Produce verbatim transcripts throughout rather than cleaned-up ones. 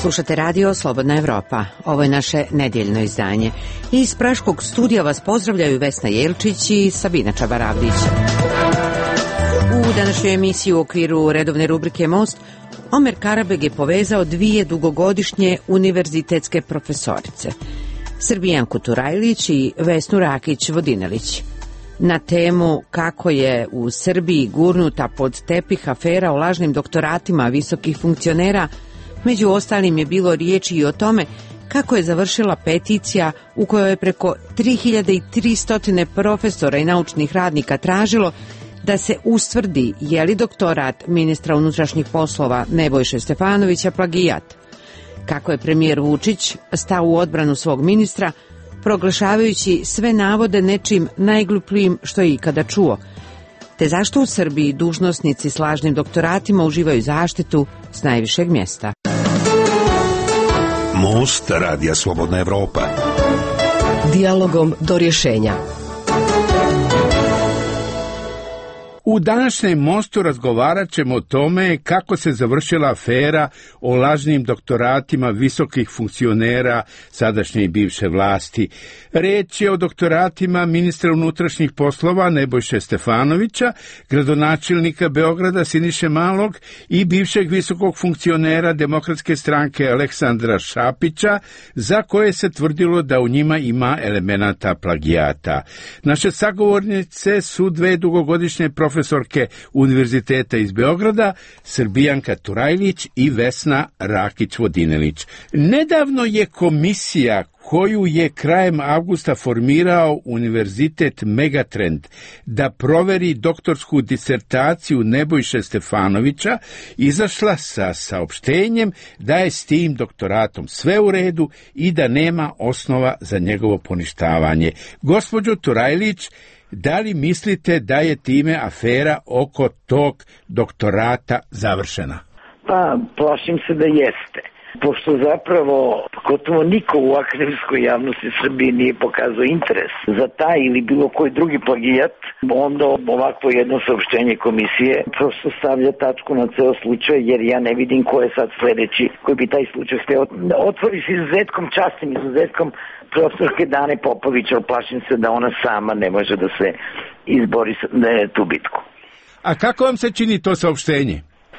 Slušate radio Slobodna Evropa. Ovo je naše nedjeljno izdanje. Iz Praškog studija vas pozdravljaju Vesna Jelčić i Sabina Čabaravdić. U današnjoj emisiji u okviru redovne rubrike Most, Omer Karabeg je povezao dvije dugogodišnje univerzitetske profesorice, Srbijanku Turajlić i Vesnu Rakić-Vodinelić. Na temu kako je u Srbiji gurnuta pod tepih afera o lažnim doktoratima visokih funkcionera, među ostalim je bilo riječi i o tome kako je završila peticija u kojoj je preko tri hiljade tristo profesora i naučnih radnika tražilo da se ustvrdi je li doktorat ministra unutrašnjih poslova Nebojše Stefanovića plagijat. Kako je premijer Vučić stao u odbranu svog ministra, proglašavajući sve navode nečim najglupljim što je ikada čuo, te zašto u Srbiji dužnosnici s lažnim doktoratima uživaju zaštitu s najvišeg mjesta. Most radija Slobodna Evropa. Dijalogom do rješenja. U današnjem Mostu razgovarat ćemo o tome kako se završila afera o lažnim doktoratima visokih funkcionera sadašnje i bivše vlasti. Riječ je o doktoratima ministra unutrašnjih poslova Nebojše Stefanovića, gradonačelnika Beograda Siniše Malog i bivšeg visokog funkcionera Demokratske stranke Aleksandra Šapića, za koje se tvrdilo da u njima ima elemenata plagijata. Naše sagovornice su dve dugogodišnje profesorke profesorke Univerziteta iz Beograda, Srbijanka Turajlić i Vesna Rakić-Vodinelić. Nedavno je komisija koju je krajem avgusta formirao Univerzitet Megatrend da proveri doktorsku disertaciju Nebojše Stefanovića, izašla sa saopštenjem da je s tim doktoratom sve u redu i da nema osnova za njegovo poništavanje. Gospođo Turajlić, da li mislite da je time afera oko tog doktorata završena? Pa, plašim se da jeste. Pošto zapravo gotovo niko u akademskoj javnosti Srbije nije pokazao interes za taj ili bilo koji drugi plagijat, onda ovakvo jedno saopštenje komisije prosto stavlja tačku na ceo slučaj, jer ja ne vidim ko je sad sledeći koji bi taj slučaj hteo. Otvori se izuzetkom, častim izuzetkom profesorke Dane Popović, ali plašim se da ona sama ne može da se izbori tu bitku. A kako vam se čini to saopštenje?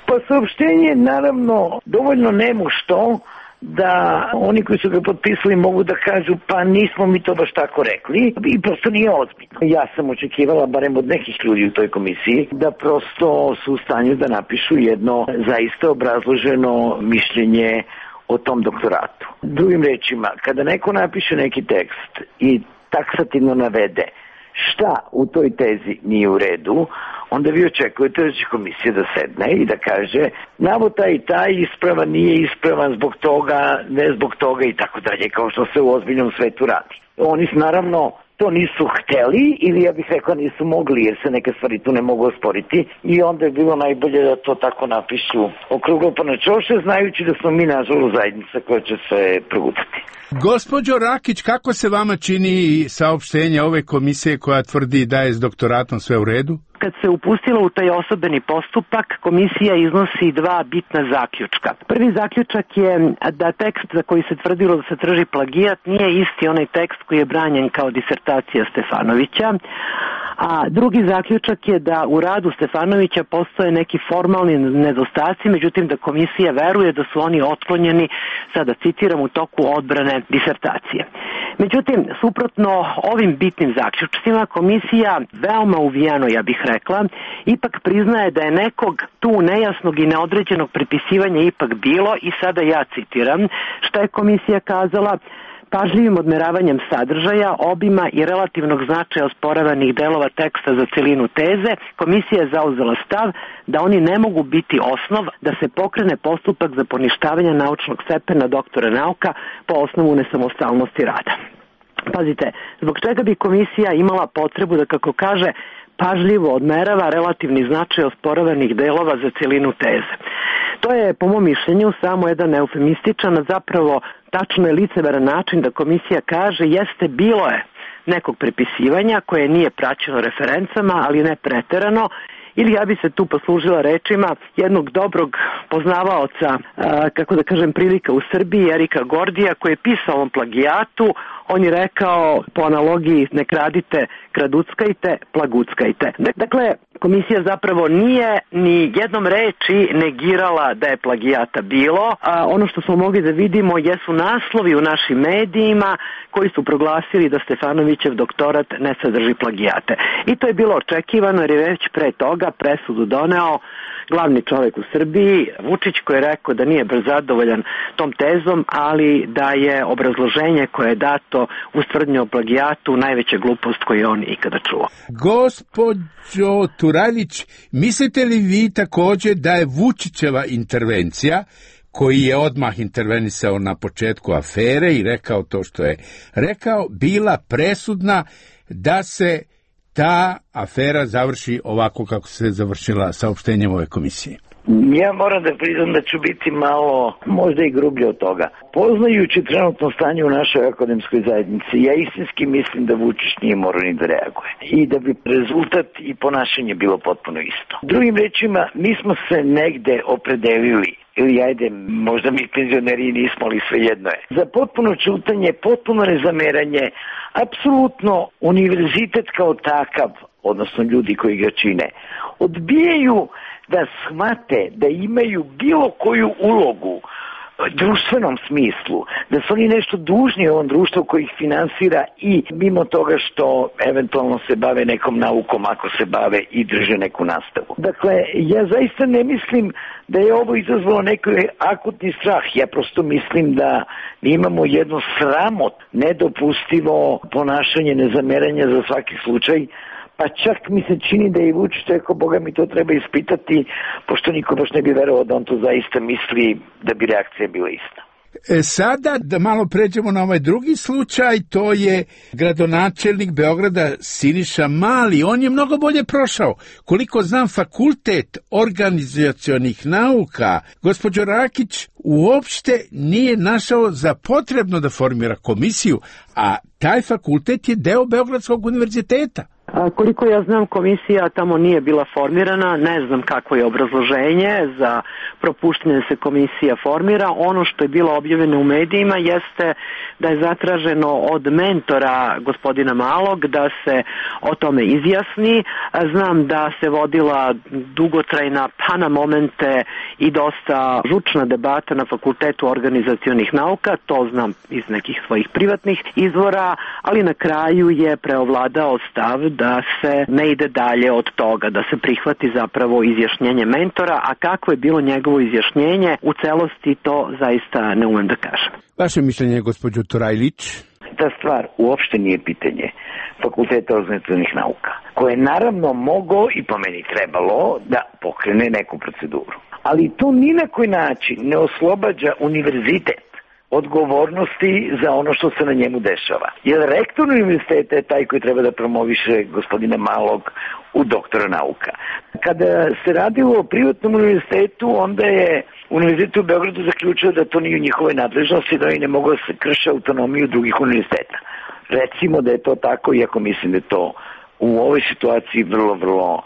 Pa saopštenje naravno dovoljno nemušto da oni koji su ga potpisali mogu da kažu pa nismo mi to baš tako rekli i prosto nije ozbiljno. Ja sam očekivala, barem od nekih ljudi u toj komisiji, da prosto su u stanju da napišu jedno zaista obrazloženo mišljenje o tom doktoratu. Drugim rečima, kada neko napiše neki tekst i taksativno navede šta u toj tezi nije u redu, onda vi očekujete da će komisija da sedne i da kaže navod taj i taj ispravan, nije ispravan zbog toga, ne zbog toga i tako dalje, kao što se u ozbiljnom svetu radi. Oni naravno to nisu hteli ili ja bih rekla nisu mogli, jer se neke stvari tu ne mogu osporiti i onda je bilo najbolje da to tako napišu okruglo pa na čoše, znajući da smo mi nažalost zajednica koja će se progutati. Gospođo Rakić, kako se vama čini saopštenje ove komisije koja tvrdi da je s doktoratom sve u redu? Kad se upustilo u taj osobeni postupak, komisija iznosi dva bitna zaključka. Prvi zaključak je da tekst za koji se tvrdilo da se traži plagijat nije isti onaj tekst koji je branjen kao disertacija Stefanovića, a drugi zaključak je da u radu Stefanovića postoje neki formalni nedostaci, međutim da komisija veruje da su oni otklonjeni, sada citiram, u toku odbrane disertacije. Međutim, suprotno ovim bitnim zaključcima, komisija veoma uvijeno, ja bih rekla, ipak priznaje da je nekog tu nejasnog i neodređenog prepisivanja ipak bilo i sada ja citiram šta je komisija kazala: pažljivim odmeravanjem sadržaja, obima i relativnog značaja osporavanih delova teksta za celinu teze, komisija je zauzela stav da oni ne mogu biti osnov da se pokrene postupak za poništavanje naučnog stepena doktora nauka po osnovu nesamostalnosti rada. Pazite, zbog čega bi komisija imala potrebu da, kako kaže, pažljivo odmerava relativni značaj osporavanih delova za celinu teze? To je, po mom mišljenju, samo jedan eufemističan, a zapravo tačno je licemeran način da komisija kaže jeste bilo je nekog prepisivanja koje nije praćeno referencama, ali ne preterano, ili ja bi se tu poslužila rečima jednog dobrog poznavaoca, a, kako da kažem, prilika u Srbiji, Erika Gordija, koji je pisao o ovom plagijatu. On je rekao, po analogiji, ne kradite, kraduckajte, plaguckajte. Dakle, komisija zapravo nije ni jednom reči negirala da je plagijata bilo. A ono što smo mogli da vidimo jesu naslovi u našim medijima koji su proglasili da Stefanovićev doktorat ne sadrži plagijate. I to je bilo očekivano jer je već pre toga presudu doneo glavni čovjek u Srbiji, Vučić, koji je rekao da nije baš zadovoljan tom tezom, ali da je obrazloženje koje je dato uz tvrdnju o plagijatu najveća glupost koju je on ikada čuo. Gospođo Turajlić, mislite li vi također da je Vučićeva intervencija, koji je odmah intervenisao na početku afere i rekao to što je rekao, bila presudna da se ta afera završi ovako kako se završila saopštenjem ove komisije? Ja moram da priznam da ću biti malo, možda i grublje od toga. Poznajući trenutno stanje u našoj akademskoj zajednici, ja istinski mislim da Vučić nije morao ni da reaguje. I da bi rezultat i ponašanje bilo potpuno isto. Drugim rečima, mi smo se negde opredelili, ili ajde, možda mi penzioneri nismo, ali svejedno je. Za potpuno čutanje, potpuno nezameranje, apsolutno univerzitet kao takav, odnosno ljudi koji ga čine, odbijaju da shvate da imaju bilo koju ulogu društvenom smislu, da su oni nešto dužni ovom društvu koji ih finansira i mimo toga što eventualno se bave nekom naukom ako se bave i drže neku nastavu. Dakle, ja zaista ne mislim da je ovo izazvalo neki akutni strah. Ja prosto mislim da mi imamo jedno sramot, nedopustivo ponašanje, nezameranje za svaki slučaj. Pa čak mi se čini da je i Vučić rekao, Boga mi to treba ispitati, pošto niko baš ne bi verovao da on to zaista misli da bi reakcija bila ista. E sada da malo pređemo na ovaj drugi slučaj, to je gradonačelnik Beograda Siniša Mali. On je mnogo bolje prošao. Koliko znam, fakultet organizacionih nauka, gospođo Rakić, uopšte nije našao za potrebno da formira komisiju, a taj fakultet je deo Beogradskog univerziteta. A koliko ja znam, komisija tamo nije bila formirana, ne znam kakvo je obrazloženje za propuštanje da se komisija formira. Ono što je bilo objavljeno u medijima jeste da je zatraženo od mentora gospodina Malog da se o tome izjasni. Znam da se vodila dugotrajna, pa na momente i dosta žučna debata na Fakultetu organizacionih nauka, to znam iz nekih svojih privatnih izvora, ali na kraju je preovladao stav da se ne ide dalje od toga, da se prihvati zapravo izjašnjenje mentora, a kako je bilo njegovo izjašnjenje u celosti, to zaista ne umem da kažem. Vaše mišljenje, gospođo Turajlić? Ta stvar uopšte nije pitanje Fakulteta organizacionih nauka, koje je naravno mogao i po meni trebalo da pokrene neku proceduru. Ali to ni na koji način ne oslobađa univerzitet odgovornosti za ono što se na njemu dešava. Jer rektor univerziteta je taj koji treba da promoviše gospodina Malog u doktora nauka. Kada se radilo o privatnom univerzitetu, onda je Univerzitet u Beogradu zaključio da to nije u njihovoj nadležnosti, da oni ne mogu da se krše autonomiju drugih univerziteta. Recimo da je to tako, iako mislim da je to u ovoj situaciji vrlo, vrlo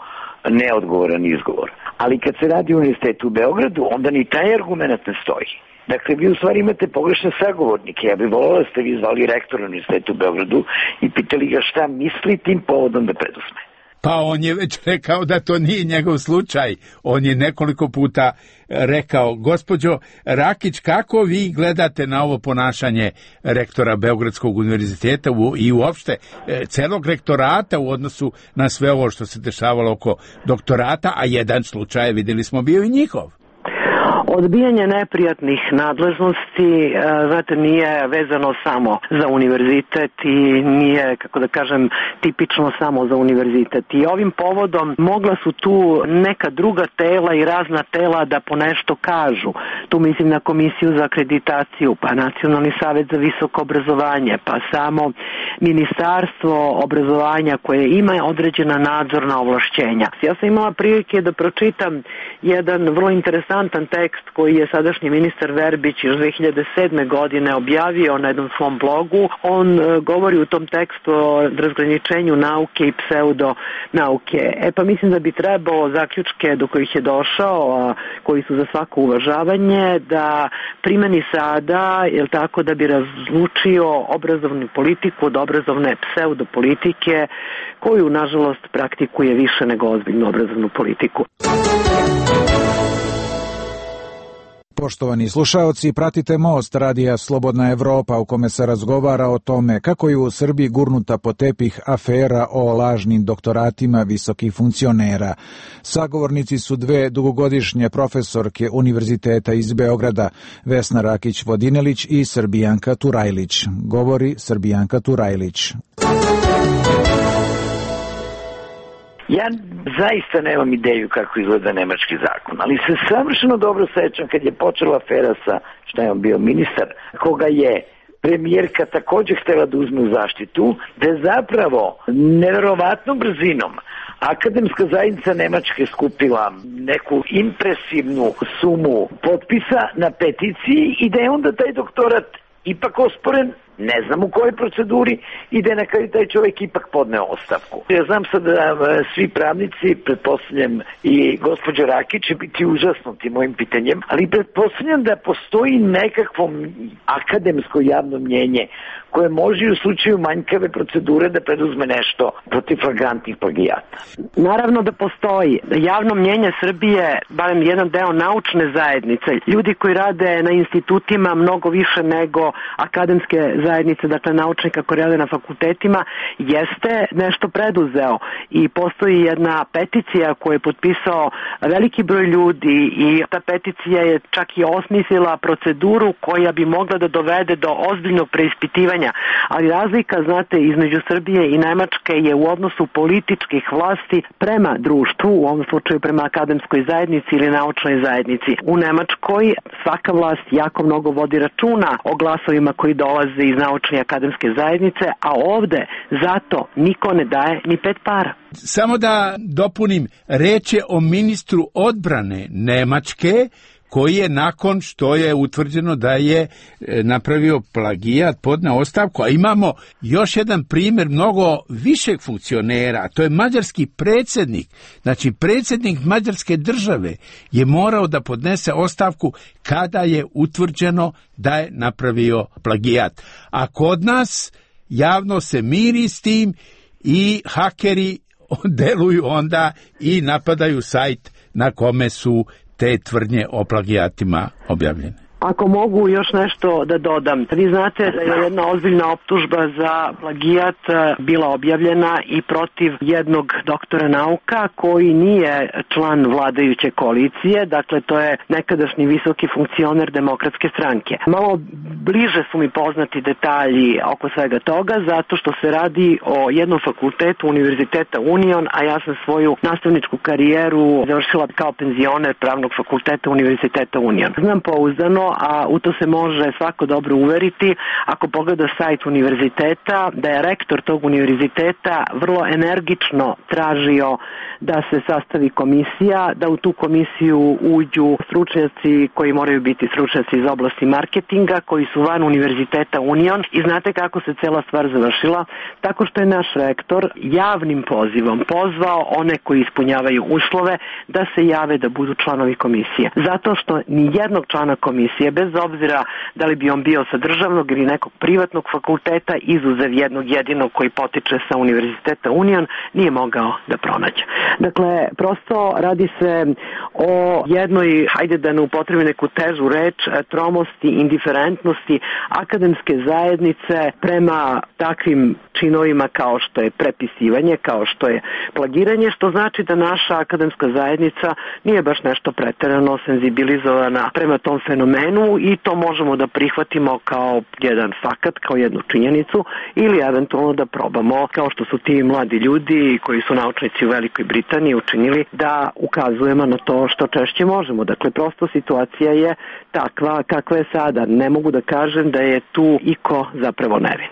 neodgovoran izgovor. Ali kad se radi o Univerzitetu u Beogradu, onda ni taj argument ne stoji. Dakle, vi u stvari imate pogrešne sagovornike. Ja bih volio da ste vi zvali rektora Univerzitetu u Beogradu i pitali ga šta misli tim povodom da preduzme. Pa on je već rekao da to nije njegov slučaj. On je nekoliko puta rekao, gospođo Rakić, kako vi gledate na ovo ponašanje rektora Beogradskog univerziteta i uopšte celog rektorata u odnosu na sve ovo što se dešavalo oko doktorata, a jedan slučaj, vidjeli smo, bio i njihov. Odbijanje neprijatnih nadležnosti, znate, nije vezano samo za univerzitet i nije, kako da kažem, tipično samo za univerzitet. I ovim povodom mogla su tu neka druga tela i razna tela da po nešto kažu. Tu mislim na Komisiju za akreditaciju, pa Nacionalni savet za visoko obrazovanje, pa samo ministarstvo obrazovanja koje ima određena nadzorna ovlašćenja. Ja sam imala prilike da pročitam jedan vrlo interesantan tekst koji je sadašnji ministar Verbić još dve hiljade sedme godine objavio na jednom svom blogu. On govori u tom tekstu o razgraničenju nauke i pseudonauke. E pa mislim da bi trebalo zaključke do kojih je došao, a koji su za svako uvažavanje, da primeni sada, jel tako, da bi razlučio obrazovnu politiku od obrazovne pseudopolitike, koju, nažalost, praktikuje više nego ozbiljnu obrazovnu politiku. Poštovani slušaoci, pratite Most radija Slobodna Evropa u kome se razgovara o tome kako je u Srbiji gurnuta po tepih afera o lažnim doktoratima visokih funkcionera. Sagovornici su dve dugogodišnje profesorke Univerziteta iz Beograda, Vesna Rakić-Vodinelić i Srbijanka Turajlić. Govori Srbijanka Turajlić. Ja zaista nemam ideju kako izgleda nemački zakon, ali se savršeno dobro sećam kad je počela afera sa, šta je on bio, ministar, koga je premijerka također htjela da uzme u zaštitu, da je zapravo neverovatnom brzinom akademska zajednica Nemačke skupila neku impresivnu sumu potpisa na peticiji i da je onda taj doktorat ipak osporen, ne znam u kojoj proceduri, i da je na kraju taj čovjek ipak podneo ostavku. Ja znam sad da svi pravnici, pretpostavljam i gospođa Rakić, će biti užasnuti mojim pitanjem, ali pretpostavljam da postoji nekakvo akademsko javno mnjenje koje može u slučaju manjkave procedure da preduzme nešto protiv flagrantnih plagijata. Naravno da postoji. Javno mnjenje Srbije, barem jedan deo naučne zajednice, ljudi koji rade na institutima mnogo više nego akademske zajednice, dakle naučnika koji rade na fakultetima, jeste nešto preduzeo i postoji jedna peticija koju je potpisao veliki broj ljudi i ta peticija je čak i osmislila proceduru koja bi mogla da dovede do ozbiljnog preispitivanja. Ali razlika, znate, između Srbije i Nemačke je u odnosu političkih vlasti prema društvu, u ovom slučaju prema akademskoj zajednici ili naučnoj zajednici. U Nemačkoj svaka vlast jako mnogo vodi računa o glasovima koji dolaze iz naučne i akademske zajednice, a ovde zato niko ne daje ni pet para. Samo da dopunim, reč je o ministru odbrane Nemačke, koji je nakon što je utvrđeno da je napravio plagijat podneo ostavku, a imamo još jedan primjer mnogo višeg funkcionera, to je mađarski predsjednik. Znači, predsjednik mađarske države je morao da podnese ostavku kada je utvrđeno da je napravio plagijat. A kod nas javno se miri s tim i hakeri deluju onda i napadaju sajt na kome su te tvrdnje o plagijatima objavljene. Ako mogu još nešto da dodam. Vi znate da je jedna ozbiljna optužba za plagijat bila objavljena i protiv jednog doktora nauka koji nije član vladajuće koalicije, dakle to je nekadašnji visoki funkcioner Demokratske stranke. Malo bliže su mi poznati detalji oko svega toga, zato što se radi o jednom fakultetu Univerziteta Union, a ja sam svoju nastavničku karijeru završila kao penzioner Pravnog fakulteta Univerziteta Union. Znam pouzdano, a u to se može svako dobro uveriti ako pogleda sajt univerziteta, da je rektor tog univerziteta vrlo energično tražio da se sastavi komisija, da u tu komisiju uđu stručnjaci koji moraju biti stručnjaci iz oblasti marketinga, koji su van Univerziteta Union, i znate kako se cela stvar završila? Tako što je naš rektor javnim pozivom pozvao one koji ispunjavaju uslove da se jave da budu članovi komisije. Zato što ni jednog člana komisije, bez obzira da li bi on bio sa državnog ili nekog privatnog fakulteta, izuzev jednog jedinog koji potiče sa Univerziteta Union, nije mogao da pronađe. Dakle, prosto radi se o jednoj, hajde da ne upotrebi neku težu reč, tromosti, indiferentnosti akademske zajednice prema takvim činovima kao što je prepisivanje, kao što je plagiranje, što znači da naša akademska zajednica nije baš nešto preterano senzibilizovana prema tom fenomenu i to možemo da prihvatimo kao jedan fakat, kao jednu činjenicu, ili eventualno da probamo, kao što su ti mladi ljudi koji su naučnici u Velikoj Britaniji učinili, da ukazujemo na to što češće možemo. Dakle, prosto situacija je takva kakva je sada. Ne mogu da kažem da je tu iko zapravo nevin.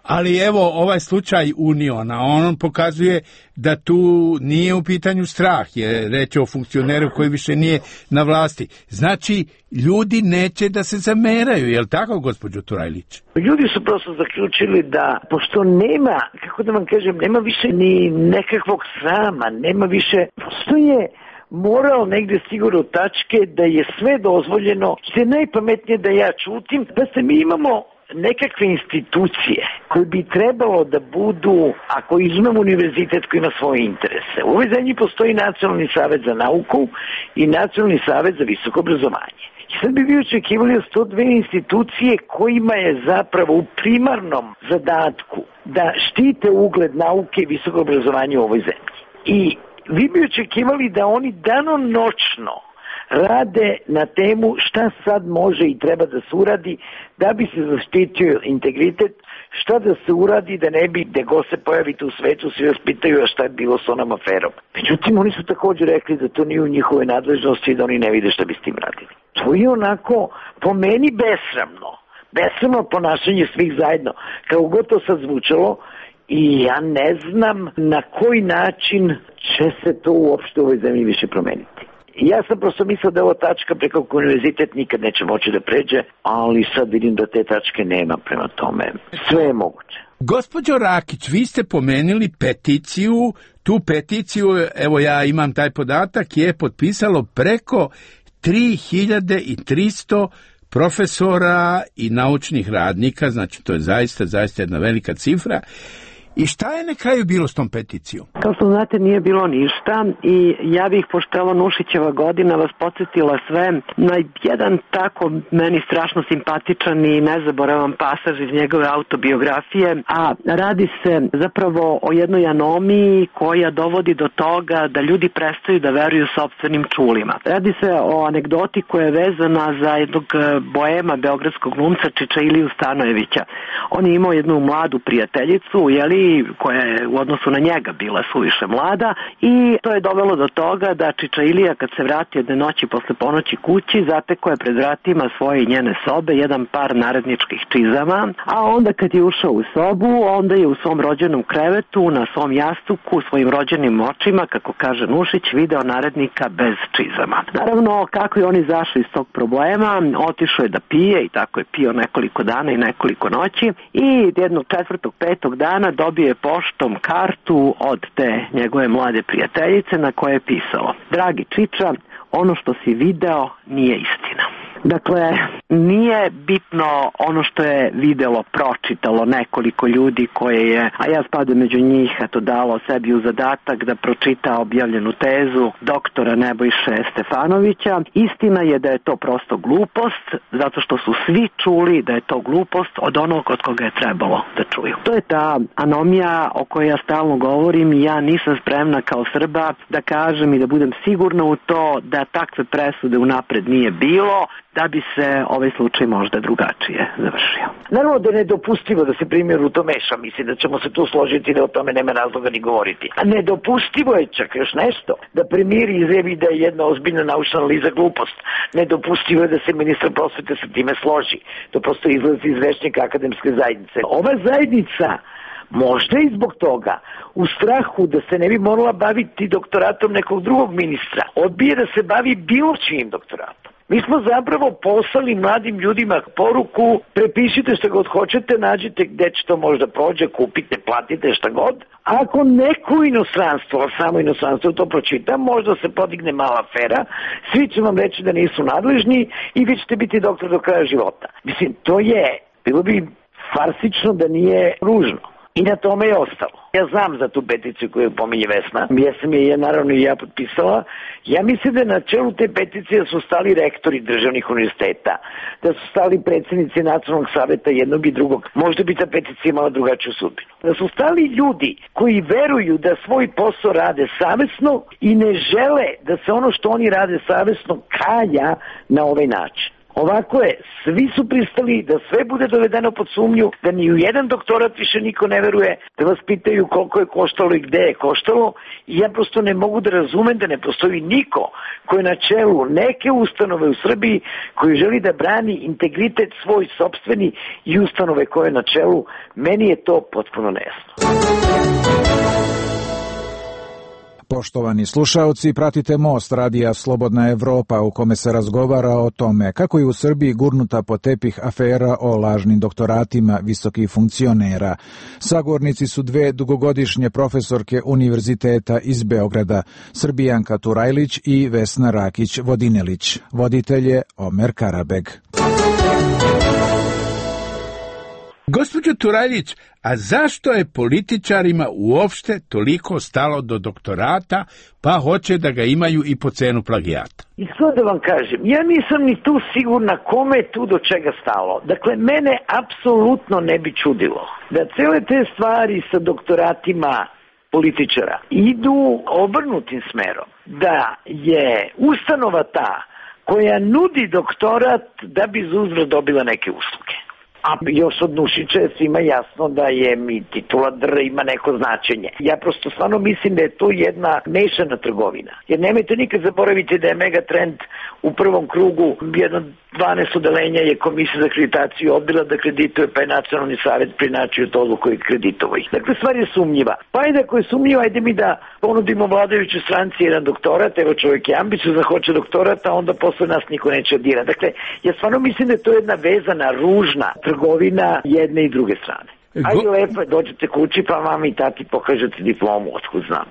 Ali evo, ovaj slučaj Uniona, on pokazuje da tu nije u pitanju strah, je reč o funkcioneru koji više nije na vlasti. Znači, ljudi neće da se zameraju, je li tako, gospođo Turajlić? Ljudi su prosto zaključili da, pošto nema, kako da vam kažem, nema više ni nekakvog srama, nema više, prosto je moral negde sigurno u tačke da je sve dozvoljeno, što je najpametnije da ja čutim, da se mi imamo nekakve institucije koje bi trebalo da budu, ako izmemo univerzitet koji ima svoje interese. U ovoj zemlji postoji Nacionalni savet za nauku i Nacionalni savet za visoko obrazovanje. I sad bi vi očekivali da su to dve institucije kojima je zapravo u primarnom zadatku da štite ugled nauke i visoko obrazovanje u ovoj zemlji. I vi bi očekivali da oni danonoćno rade na temu šta sad može i treba da se uradi da bi se zaštitio integritet, šta da se uradi da ne bi, gde god se pojavite u svetu, svi vas pitaju a šta je bilo s onom aferom. Međutim, oni su također rekli da to nije u njihove nadležnosti i da oni ne vide šta bi s tim radili. To je onako, po meni, besramno. Besramno ponašanje svih zajedno. Kao god to sad zvučalo, i ja ne znam na koji način će se to uopšte u ovoj zemlji više promeniti. Ja sam prosto mislio da je ovo tačka preko koju univerzitet nikad neće moći da pređe, ali sad vidim da te tačke nema, prema tome sve je moguće. Gospođo Rakić, vi ste pomenuli peticiju, tu peticiju, evo ja imam taj podatak, je potpisalo preko tri hiljade tristo profesora i naučnih radnika, znači to je zaista, zaista jedna velika cifra. I šta je na kraju bilo s tom peticijom? Kao što znate, nije bilo ništa i ja bih, pošto je ovo Nušićeva godina, vas podsjetila sve na jedan tako meni strašno simpatičan i nezaboravan pasaž iz njegove autobiografije, a radi se zapravo o jednoj anomiji koja dovodi do toga da ljudi prestaju da veruju sopstvenim čulima. Radi se o anegdoti koja je vezana za jednog boema beogradskog glumca Čičailiju Stanojevića. On je imao jednu mladu prijateljicu, jeli, koja je u odnosu na njega bila suviše mlada i to je dovelo do toga da Čičailija kad se vrati jedne noći posle ponoći kući zatekao je pred vratima svoje i njene sobe jedan par naredničkih čizama, a onda kad je ušao u sobu onda je u svom rođenom krevetu na svom jastuku svojim rođenim očima, kako kaže Nušić, video narednika bez čizama. Naravno, kako je on izašao iz tog problema, otišao je da pije i tako je pio nekoliko dana i nekoliko noći i jednog četvrtog, petog dana dobio je poštom kartu od te njegove mlade prijateljice na koje je pisalo: dragi Čiča, ono što si video nije istina. Dakle, nije bitno ono što je videlo, pročitalo nekoliko ljudi koje je, a ja spadam među njih, eto dalo sebi u zadatak da pročita objavljenu tezu doktora Nebojše Stefanovića. Istina je da je to prosto glupost, zato što su svi čuli da je to glupost od onog od koga je trebalo da čuju. To je ta anomija o kojoj ja stalno govorim i ja nisam spremna kao Srba da kažem i da budem sigurna u to da takve presude unapred nije bilo, da bi se ovaj slučaj možda drugačije završio. Naravno da je nedopustivo da se primjer u to meša, mislim da ćemo se tu složiti da o tome nema razloga ni govoriti. A nedopustivo je čak još nešto, da premijer izjavi da je jedna ozbiljna naučna analiza glupost. Nedopustivo je da se ministar prosvete sa time složi. To prosto izlazi iz rečnika akademske zajednice. Ova zajednica možda i zbog toga, u strahu da se ne bi morala baviti doktoratom nekog drugog ministra, odbije da se bavi bilo čijim doktoratom. Mi smo zapravo poslali mladim ljudima poruku: prepišite šta god hoćete, nađite gde će to možda prođe, kupite, platite šta god. A ako neko inostranstvo, samo inostranstvo to pročita, možda se podigne mala afera, svi će vam reći da nisu nadležni i vi ćete biti doktor do kraja života. Mislim, to je, bilo bi farsično da nije ružno. I na tome je ostalo. Ja znam za tu peticiju koju pominje Vesna. Ja sam je, ja, naravno i ja potpisala. Ja mislim da na čelu te peticije su stali rektori državnih univerziteta, da su stali predsjednici Nacionalnog saveta jednog i drugog. Možda bi ta peticija imala drugačiju sudbinu. Da su stali ljudi koji veruju da svoj posao rade savesno i ne žele da se ono što oni rade savesno kalja na ovaj način. Ovako je, svi su pristali da sve bude dovedeno pod sumnju, da ni u jedan doktorat više niko ne veruje, da vas pitaju koliko je koštalo i gde je koštalo i ja prosto ne mogu da razumem da ne postoji niko koji je na čelu neke ustanove u Srbiji koji želi da brani integritet svoj sopstveni i ustanove koje je na čelu. Meni je to potpuno nejasno. Poštovani slušaoci, pratite Most radija Slobodna Evropa u kome se razgovara o tome kako je u Srbiji gurnuta pod tepih afera o lažnim doktoratima visokih funkcionera. Sagovornici su dve dugogodišnje profesorke Univerziteta iz Beograda, Srbijanka Turajlić i Vesna Rakić-Vodinelić. Voditelj je Omer Karabeg. Gospođo Turajlić, a zašto je političarima uopšte toliko stalo do doktorata, pa hoće da ga imaju i po cenu plagijata? Iskreno da vam kažem, ja nisam ni tu sigurna kome je tu do čega stalo. Dakle, mene apsolutno ne bi čudilo da cele te stvari sa doktoratima političara idu obrnutim smerom. Da je ustanova ta koja nudi doktorat da bi zauzvrat dobila neke usluge. A još od Nušića je svima jasno da je mi titula dr ima neko značenje. Ja prosto stvarno mislim da je to jedna mešana trgovina. Jer nemojte nikad zaboraviti da je Megatrend u prvom krugu jedno dvanaest odelenja je komisija za akreditaciju odbila da kredituje, pa je nacionalni savjet prinačio to odluku i kreditovao ih. Dakle, stvar je sumnjiva. Pa ajde ako je sumnjiva, ajde mi da ponudimo vladajućoj stranci jedan doktorat, evo čovjek je ambiciozan da hoće doktorat, a onda posle nas niko neće dira. Dakle, ja stvarno mislim da je to jedna vezana, ružna trgovina jedne i druge strane. Ajde lepo, dođete kući pa mami i tati pokažete diplomu, otkud znam.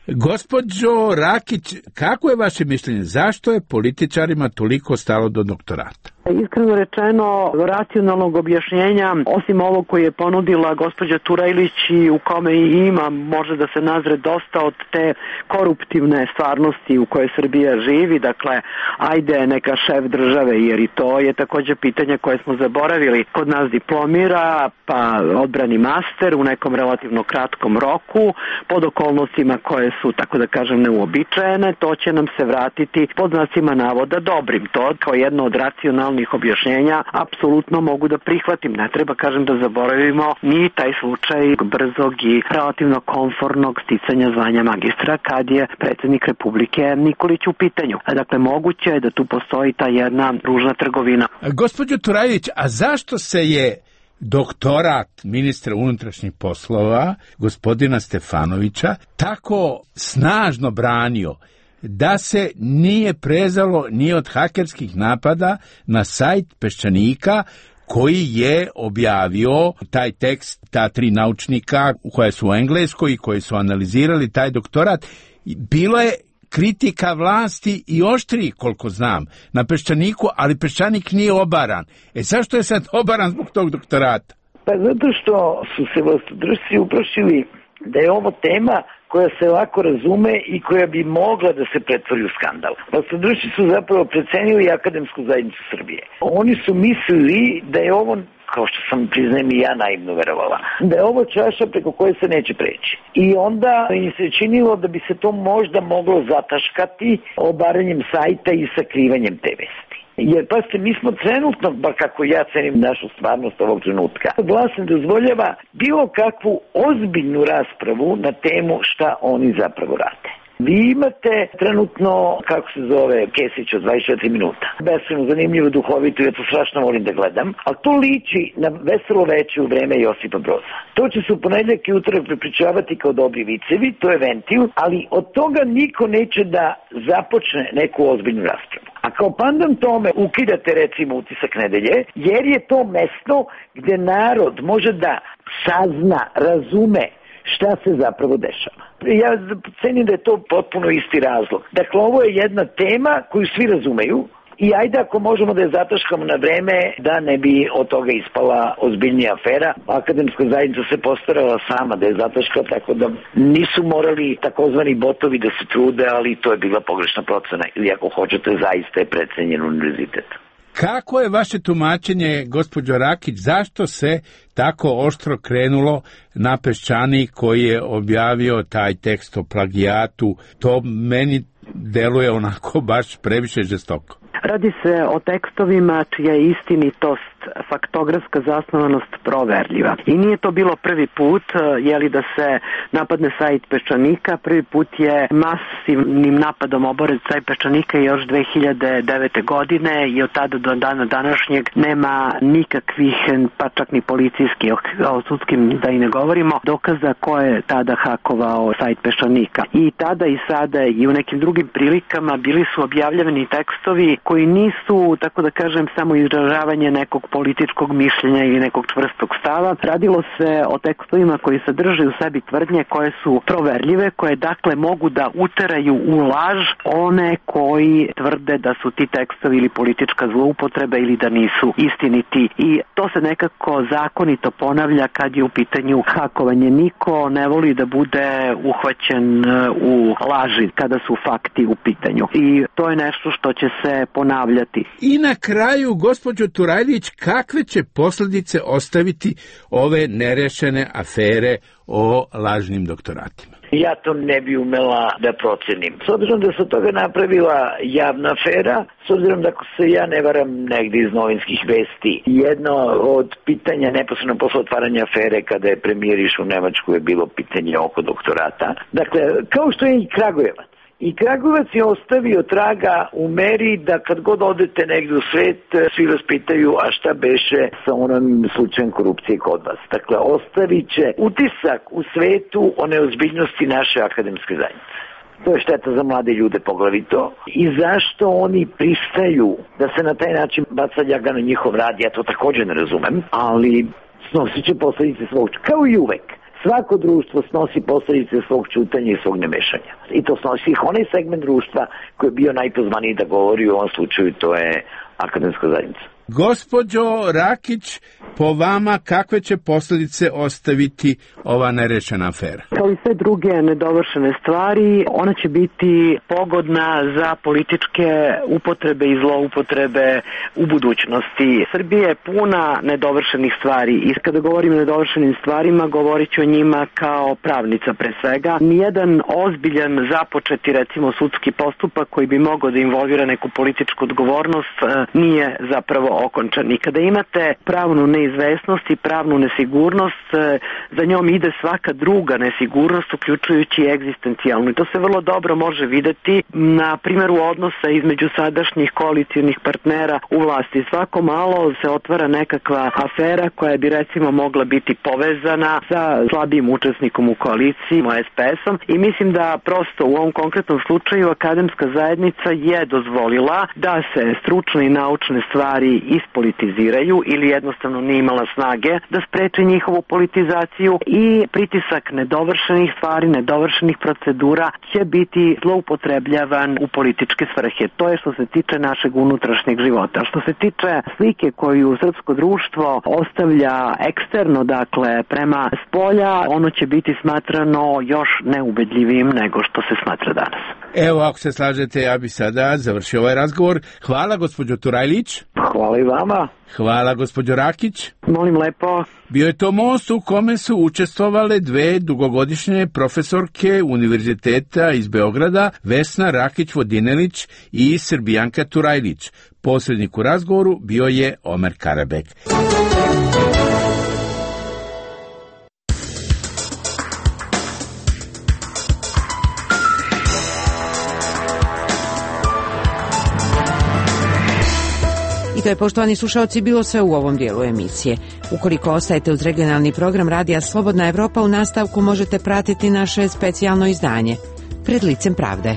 Gospođo Rakić, kako je vaše mišljenje? Zašto je političarima toliko stalo do doktorata? Iskreno rečeno, racionalnog objašnjenja, osim ovog koji je ponudila gospođa Turajlić i u kome i ima, može da se nazre dosta od te koruptivne stvarnosti u kojoj Srbija živi, dakle, ajde neka šef države, jer i to je također pitanje koje smo zaboravili. Kod nas diplomira, pa odbrani master u nekom relativno kratkom roku, pod okolnostima koje su, tako da kažem, neuobičajene, to će nam se vratiti pod znacima navoda dobrim. To kao jedno od racionalnih objašnjenja apsolutno mogu da prihvatim. Ne treba, kažem, da zaboravimo ni taj slučaj brzog i relativno komfornog sticanja zvanja magistra kad je predsjednik Republike Nikolić u pitanju. Dakle, moguće je da tu postoji ta jedna ružna trgovina. Gospođo Turajlić, a zašto se je doktorat ministra unutrašnjih poslova, gospodina Stefanovića, tako snažno branio da se nije prezalo ni od hakerskih napada na sajt Peščanika koji je objavio taj tekst, ta tri naučnika koja su u Engleskoj i koji su analizirali taj doktorat. Bilo je kritika vlasti i oštriji, koliko znam, na Peščaniku, ali Peščanik nije obaran. E zašto je sad obaran zbog tog doktorata? Pa zato što su se vlastodržci uplašili da je ovo tema koja se lako razume i koja bi mogla da se pretvori u skandal. Vlastodržci su zapravo precenili akademsku zajednicu Srbije. Oni su mislili da je ovo, kao što sam priznajem i ja naivno verovala, da je ovo čaša preko koje se neće preći. I onda im se činilo da bi se to možda moglo zataškati obaranjem sajta i sakrivanjem te vesti. Jer, pazite, mi smo trenutno, bar kako ja cenim našu stvarnost ovog trenutka, vlast ne dozvoljava bilo kakvu ozbiljnu raspravu na temu šta oni zapravo rade. Vi imate trenutno, kako se zove, Kesić od dvadeset četiri minuta. Beskrajno zanimljivo, duhovito, ja to strašno volim da gledam, ali to liči na Veselo veče u vreme Josipa Broza. To će se u ponedjeljak i utorak prepričavati kao dobri vicevi, to je ventil, ali od toga niko neće da započne neku ozbiljnu raspravu. A kao pandan tome ukidate recimo Utisak nedelje, jer je to mesto gde narod može da sazna, razume šta se zapravo dešava. Ja cenim da je to potpuno isti razlog. Dakle, ovo je jedna tema koju svi razumeju i ajde ako možemo da je zataškamo na vreme da ne bi od toga ispala ozbiljnija afera. Akademska zajednica se postarala sama da je zataška, tako da nisu morali takozvani botovi da se trude, ali to je bila pogrešna procena ili ako hoćete zaista je precenjen univerzitet. Kako je vaše tumačenje, gospođo Rakić, zašto se tako oštro krenulo na Peščanik koji je objavio taj tekst o plagijatu? To meni deluje onako baš previše žestoko. Radi se o tekstovima čija je istinitost, faktografska zasnovanost proverljiva. I nije to bilo prvi put, jeli da se napadne sajt Peščanika, prvi put je masivnim napadom oboren sajt Peščanika još dve hiljade devete. godine i od tada do dana današnjeg nema nikakvih, pa čak ni policijskih, o sudskim da i ne govorimo, dokaza ko je tada hakovao sajt Peščanika. I tada i sada i u nekim drugim prilikama bili su objavljeni tekstovi koji nisu, tako da kažem, samo izražavanje nekog političkog mišljenja ili nekog čvrstog stava. Radilo se o tekstovima koji sadrže u sebi tvrdnje koje su proverljive, koje dakle mogu da uteraju u laž one koji tvrde da su ti tekstovi ili politička zloupotreba ili da nisu istiniti. I to se nekako zakonito ponavlja kad je u pitanju hakovanje. Niko ne voli da bude uhvaćen u laži kada su fakti u pitanju. I to je nešto što će se ponavljati. I na kraju, gospođo Turajlić, kakve će posljedice ostaviti ove nerešene afere o lažnim doktoratima? Ja to ne bi umela da procenim. S obzirom da se toga napravila javna afera, s obzirom da ako se ja ne varam negdje iz novinskih vesti, jedno od pitanja neposredno posle otvaranja afere kada je premijer išao u Nemačku je bilo pitanje oko doktorata. Dakle, kao što je i Kragujevac. I Kragujevac je ostavio traga u meri da kad god odete negdje u svet, svi vas pitaju a šta beše sa onom slučajem korupcije kod vas. Dakle, ostavit će utisak u svetu o neozbiljnosti naše akademske zajednice. To je šteta za mlade ljude poglavito. I zašto oni pristaju da se na taj način baca ljaga na njihov rad, ja to također ne razumem, ali snosit će posljedice svog, kao i uvek. Svako društvo snosi posljedice svog čutanja i svog nemešanja. I to snosi onaj segment društva koji je bio najpozvaniji da govori, u ovom slučaju to je akademska zajednica. Gospođo Rakić, po vama kakve će posljedice ostaviti ova nerešena afera? Kao i sve druge nedovršene stvari, ona će biti pogodna za političke upotrebe i zloupotrebe u budućnosti. Srbija je puna nedovršenih stvari i kada govorim o nedovršenim stvarima, govorit ću o njima kao pravnica pre svega. Nijedan ozbiljan započeti, recimo, sudski postupak koji bi mogao da involvira neku političku odgovornost nije zapravo okončan. I kada imate pravnu neizvesnost i pravnu nesigurnost, za njom ide svaka druga nesigurnost, uključujući egzistencijalnu. I to se vrlo dobro može videti na primjeru odnosa između sadašnjih koalicijnih partnera u vlasti. Svako malo se otvara nekakva afera koja bi recimo mogla biti povezana sa slabijim učesnikom u koaliciji, es pe esom, i mislim da prosto u ovom konkretnom slučaju akademska zajednica je dozvolila da se stručne i naučne stvari ispolitiziraju ili jednostavno nije imala snage da spreči njihovu politizaciju i pritisak nedovršenih stvari, nedovršenih procedura će biti zloupotrebljavan u političke svrhe. To je što se tiče našeg unutrašnjeg života. Što se tiče slike koju srpsko društvo ostavlja eksterno, dakle prema spolja, ono će biti smatrano još neubedljivim nego što se smatra danas. Evo, ako se slažete, ja bi sada završio ovaj razgovor. Hvala, gospođo Turajlić. Hvala i vama. Hvala, gospođo Rakić. Molim lepo. Bio je to most u kome su učestvovale dve dugogodišnje profesorke Univerziteta iz Beograda, Vesna Rakić-Vodinelić i Srbijanka Turajlić. Posrednik u razgovoru bio je Omer Karabek. I to je, poštovani slušalci, bilo sve u ovom dijelu emisije. Ukoliko ostajete uz regionalni program Radija Slobodna Evropa, u nastavku možete pratiti naše specijalno izdanje Pred licem pravde.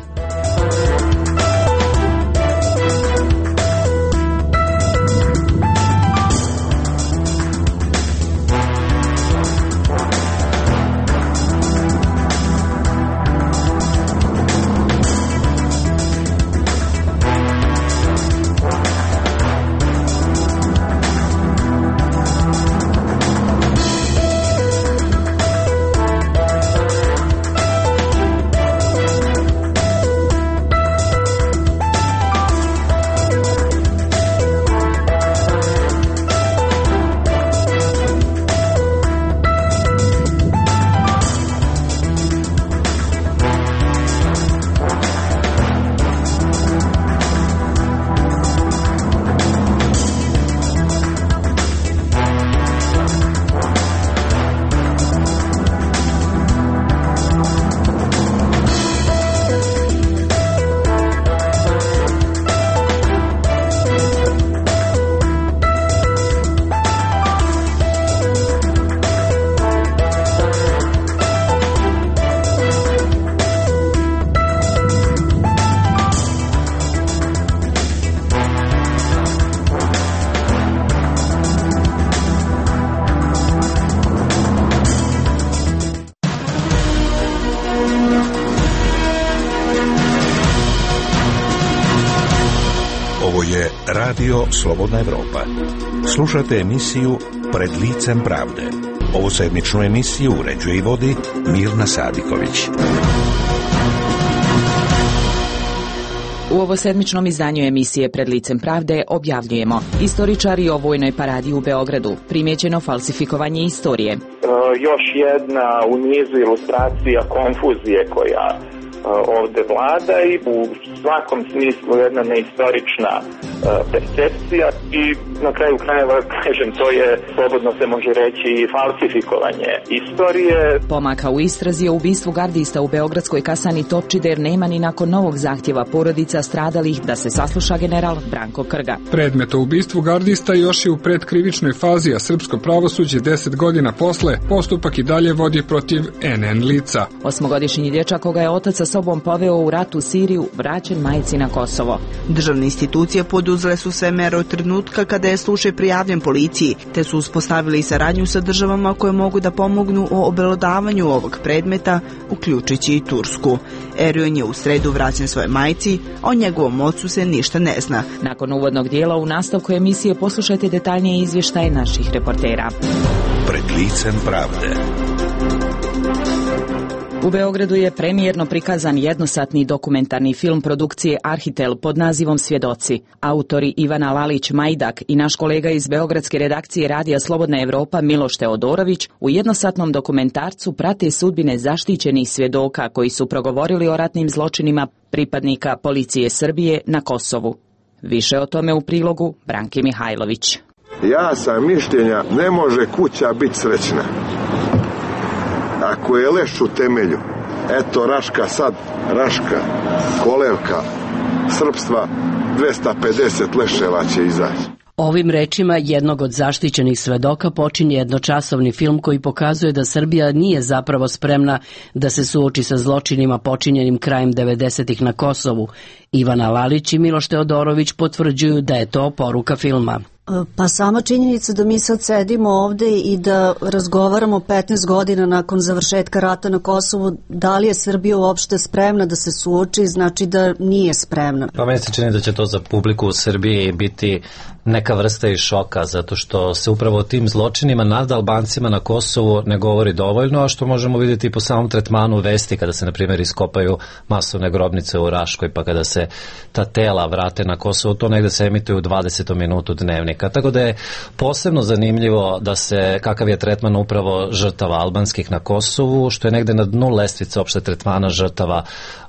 Radio Slobodna Evropa. Slušate emisiju Pred licem pravde. Ovu sedmičnu emisiju uređuje i vodi Mirna Sadiković. U ovosedmičnom izdanju emisije Pred licem pravde objavljujemo: istoričari o vojnoj paradi u Beogradu, primjećeno falsifikovanje istorije. E, još jedna u nizu ilustracija konfuzije koja ovde vlada i u svakom smislu jedna neistorična uh, percepcija i na kraju krajeva, kažem, to je, slobodno se može reći, falsifikovanje istorije. Pomaka u istrazi o ubistvu gardista u beogradskoj kasarni Topčider nema ni nakon novog zahtjeva porodica stradalih da se sasluša general Branko Krga. Predmet o ubistvu gardista još je u predkrivičnoj fazi, a srpsko pravosuđe deset godina posle postupak i dalje vodi protiv en en lica. Osmogodišnji dječak koga je otac sa sobom poveo u rat u Siriju, vraćen majci na Kosovo. Državne institucije poduzele su sve mere od trenutka kada je slučaj prijavljen policiji, te su uspostavili saradnju sa državama koje mogu da pomognu u obelodavanju ovog predmeta, uključujući i Tursku. Erion je u sredu vraćen svoje majci, a o njegovom ocu se ništa ne zna. Nakon uvodnog dijela u nastavku emisije poslušajte detaljnije izvještaje naših reportera. Pred licem pravde. U Beogradu je premijerno prikazan jednosatni dokumentarni film produkcije Arhitel pod nazivom Svjedoci. Autori Ivana Lalić-Majdak i naš kolega iz beogradske redakcije Radija Slobodna Evropa Miloš Teodorović u jednosatnom dokumentarcu prate sudbine zaštićenih svjedoka koji su progovorili o ratnim zločinima pripadnika policije Srbije na Kosovu. Više o tome u prilogu Branki Mihajlović. Ja sam mišljenja, ne može kuća biti srećna ako je leš u temelju. Eto Raška sad, Raška, kolevka, srpstva, dvesta pedeset leševa će izaći. Ovim rečima jednog od zaštićenih svedoka počinje jednočasovni film koji pokazuje da Srbija nije zapravo spremna da se suoči sa zločinima počinjenim krajem devedesetih na Kosovu. Ivana Lalić i Miloš Teodorović potvrđuju da je to poruka filma. Pa sama činjenica da mi sad sedimo ovde i da razgovaramo petnaest godina nakon završetka rata na Kosovu, da li je Srbija uopšte spremna da se suoči, znači da nije spremna. Pa meni se čini da će to za publiku u Srbiji biti neka vrsta i šoka, zato što se upravo o tim zločinima nad Albancima na Kosovu ne govori dovoljno, a što možemo vidjeti po samom tretmanu vesti kada se, na primjer, iskopaju masovne grobnice u Raškoj, pa kada se ta tela vrate na Kosovo, to negde se emituje u dvadesetom minutu dnevnika. Tako da je posebno zanimljivo da se, kakav je tretman upravo žrtava albanskih na Kosovu, što je negde na dnu lestvice opšte tretmana žrtava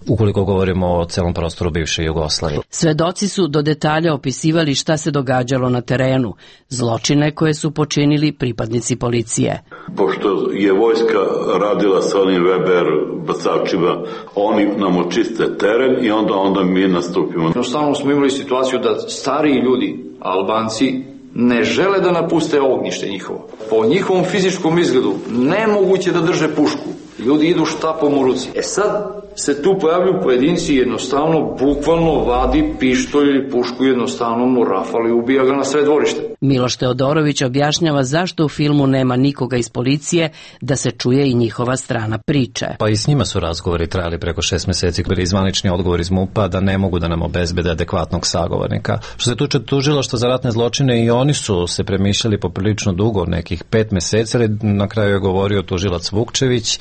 ukoliko govorimo o celom prostoru bivše Jugoslavije. Svedoci su do detalja opisivali šta se događalo na terenu, zločine koje su počinili pripadnici policije. Pošto je vojska radila sa onim Weber bacačima, oni nam očiste teren i onda, onda mi nastupimo. Jednostavno smo imali situaciju da stariji ljudi, Albanci, ne žele da napuste ognjište njihovo. Po njihovom fizičkom izgledu nemoguće da drže pušku. Ljudi idu štapom u ruci. E sad se tu pojavljuju pojedinci, jednostavno, bukvalno vadi pištolj ili pušku, jednostavno mu rafali i ubija ga na sve dvorište. Miloš Teodorović objašnjava zašto u filmu nema nikoga iz policije, da se čuje i njihova strana priče. Pa i s njima su razgovori trajali preko šest meseci, bili izvanični odgovor iz MUP-a da ne mogu da nam obezbede adekvatnog sagovornika. Što se tuče tužilaštva za ratne zločine, i oni su se premišljali poprilično dugo, nekih pet meseci, ali na kraju je govorio tužilac Vukčević,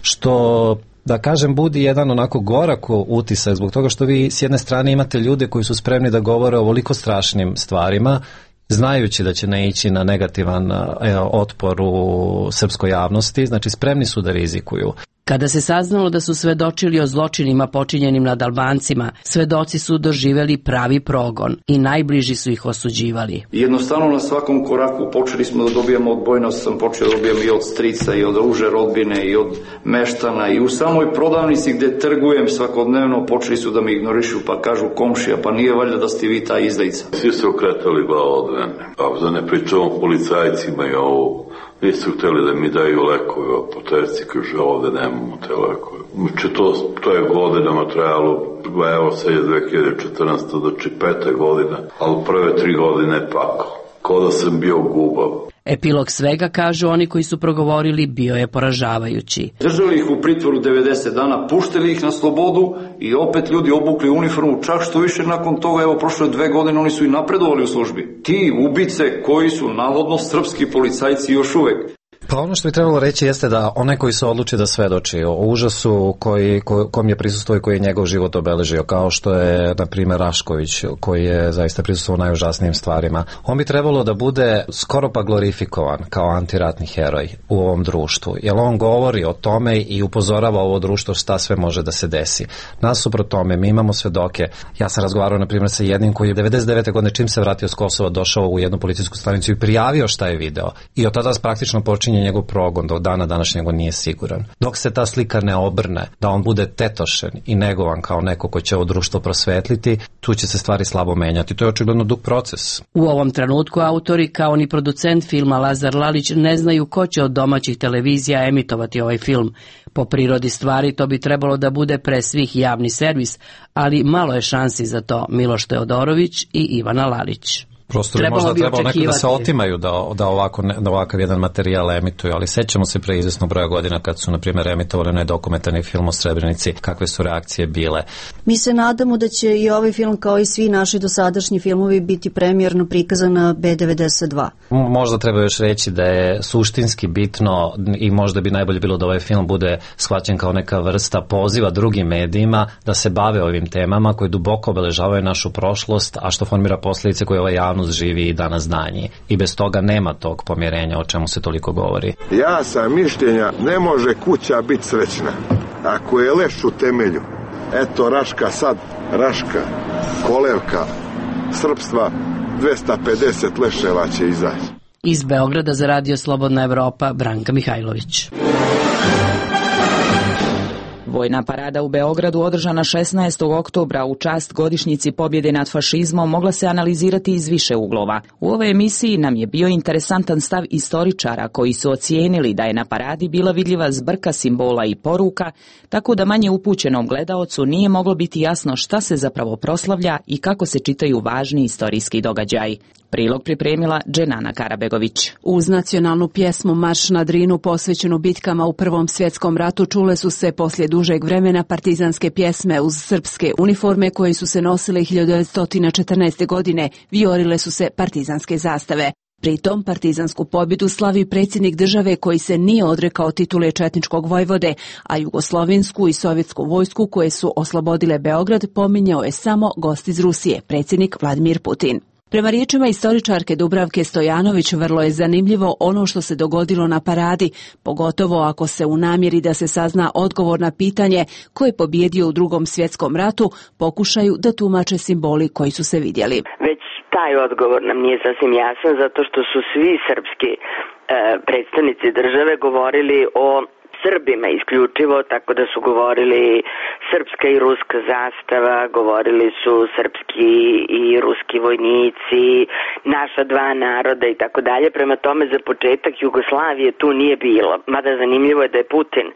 što, da kažem, budi jedan onako gorak utisak zbog toga što vi s jedne strane imate ljude koji su spremni da govore o ovoliko strašnim stvarima, znajući da će naići na negativan e, otpor u srpskoj javnosti, znači spremni su da rizikuju. Kada se saznalo da su svedočili o zločinima počinjenim nad Albancima, svedoci su doživjeli pravi progon i najbliži su ih osuđivali. Jednostavno na svakom koraku počeli smo da dobijamo odbojnost, sam počeo da dobijam i od strica i od uže rodbine i od meštana i u samoj prodavnici gde trgujem svakodnevno počeli su da me ignorišu, pa kažu komšija, pa nije valjda da ste vi ta izdajica. Svi su okretali glavu od mene, a da ne pričamo policajcima i ovo. Nisu htjeli da mi daju lekove, apoterci kaže ovde nemamo te lekove. Znači to, to je godinama trajalo, evo sad je dve hiljade četrnaeste. znači pete godine, ali prve tri godine pakao. Ko da sam bio gubav. Epilog svega, kažu oni koji su progovorili, bio je poražavajući. Držali ih u pritvoru devedeset dana, puštili ih na slobodu i opet ljudi obukli uniformu, čak što više nakon toga, evo prošle dve godine, oni su i napredovali u službi. Ti ubice koji su navodno srpski policajci još uvek. Pa ono što bi trebalo reći jeste da onaj koji se odluči da svedoči o užasu koji, ko, kom je prisustuo i koji je njegov život obeležio, kao što je, na primjer, Rašković, koji je zaista prisustuo najužasnijim stvarima, on bi trebalo da bude skoro pa glorifikovan kao antiratni heroj u ovom društvu, jer on govori o tome i upozorava ovo društvo šta sve može da se desi. Nasuprot tome, mi imamo svedoke. Ja sam razgovarao, na primjer, sa jednim koji je devedeset devete godine, čim se vratio s Kosova, došao u jednu policijsku stanicu i prijavio šta je video. I od tada praktično počinje njegov progon, do dana današnjeg nije siguran. Dok se ta slika ne obrne, da on bude tetošen i negovan kao neko ko će ovo društvo prosvetliti, tu će se stvari slabo menjati. To je očigledno dug proces. U ovom trenutku autori, kao ni producent filma Lazar Lalić, ne znaju ko će od domaćih televizija emitovati ovaj film. Po prirodi stvari to bi trebalo da bude pre svih javni servis, ali malo je šansi za to. Miloš Teodorović i Ivana Lalić. Prosto bi možda trebalo neko da se otimaju da, da, ovako, da ovakav jedan materijal emituju, ali sećamo se pre izvesnog broja godina kad su, na primjer, emitovali onaj dokumentarni film o Srebrenici, kakve su reakcije bile. Mi se nadamo da će i ovaj film, kao i svi naši dosadašnji filmovi, biti premijerno prikazan na B devedeset dva. Možda treba još reći da je suštinski bitno i možda bi najbolje bilo da ovaj film bude shvaćen kao neka vrsta poziva drugim medijima da se bave ovim temama koje duboko obeležavaju našu prošlost, a što formira posljedice koje ovaj javnost živi i danas danji. I bez toga nema tog pomjerenja o čemu se toliko govori. Ja sam mišljenja, ne može kuća biti srećna ako je leš u temelju. Eto Raška sad, Raška, kolevka, srpstva, dvesta pedeset leševa će izaći. Iz Beograda za Radio Slobodna Evropa, Branka Mihajlović. Vojna parada u Beogradu, održana šesnaestog oktobra u čast godišnjici pobjede nad fašizmom, mogla se analizirati iz više uglova. U ovoj emisiji nam je bio interesantan stav istoričara koji su ocijenili da je na paradi bila vidljiva zbrka simbola i poruka, tako da manje upućenom gledaocu nije moglo biti jasno šta se zapravo proslavlja i kako se čitaju važni istorijski događaji. Prilog pripremila Dženana Karabegović. Uz nacionalnu pjesmu Marš na Drinu posvećenu bitkama u Prvom svjetskom ratu čule su se poslije dužeg vremena partizanske pjesme uz srpske uniforme koje su se nosile hiljadu devetsto četrnaeste. godine, vijorile su se partizanske zastave. Pritom partizansku pobjedu slavi predsjednik države koji se nije odrekao titule četničkog vojvode, a jugoslovensku i sovjetsku vojsku koje su oslobodile Beograd pominjao je samo gost iz Rusije, predsjednik Vladimir Putin. Prema riječima istoričarke Dubravke Stojanović, vrlo je zanimljivo ono što se dogodilo na paradi, pogotovo ako se u namjeri da se sazna odgovor na pitanje ko je pobjedio u Drugom svjetskom ratu pokušaju da tumače simboli koji su se vidjeli. Već taj odgovor nam nije sasvim jasan zato što su svi srpski e, predstavnici države govorili o Srbima isključivo, tako da su govorili srpska i ruska zastava, govorili su srpski i ruski vojnici, naša dva naroda i tako dalje. Prema tome, za početak Jugoslavije tu nije bilo. Mada zanimljivo je da je Putin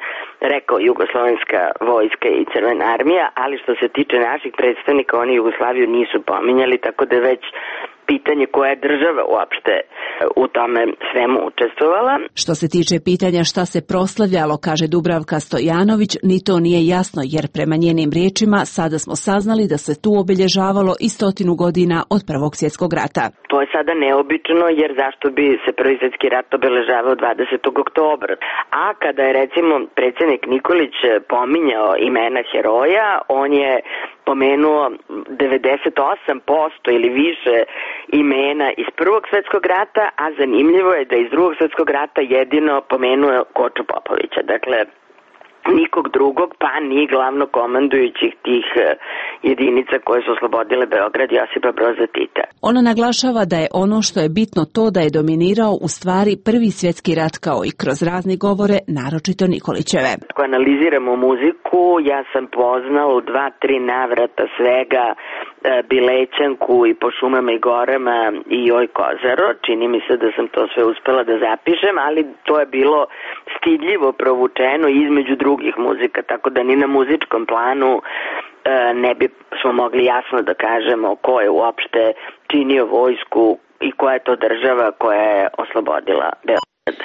rekao jugoslovenska vojska i crvena armija, ali što se tiče naših predstavnika, oni Jugoslaviju nisu pominjali, tako da je već pitanje koja je država uopšte u tome svemu učestvovala. Što se tiče pitanja šta se proslavljalo, kaže Dubravka Stojanović, ni to nije jasno, jer prema njenim riječima sada smo saznali da se tu obilježavalo i stotinu godina od Prvog svjetskog rata. To je sada neobično, jer zašto bi se Prvi svjetski rat obeležavao dvadesetog oktobra? A kada je recimo predsjednik Nikolić pominjao imena heroja, on je pomenuo devedeset osam posto ili više imena iz Prvog svjetskog rata, a zanimljivo je da iz Drugog svjetskog rata jedino pomenuo Koču Popovića. Dakle, nikog drugog, pa ni glavno komandujućih tih jedinica koje su oslobodile Beograd, Josipa Broza Tita. Ona naglašava da je ono što je bitno to da je dominirao u stvari Prvi svjetski rat, kao i kroz razne govore, naročito Nikolićeve. Ako analiziramo muziku, ja sam poznao u dva, tri navrata svega Bilećanku i Po šumama i gorama i Joj Kozaro. Čini mi se da sam to sve uspela da zapišem, ali to je bilo stidljivo provučeno između drugih muzika, tako da ni na muzičkom planu ne bi smo mogli jasno da kažemo ko je uopšte činio vojsku i koja je to država koja je oslobodila Beograd.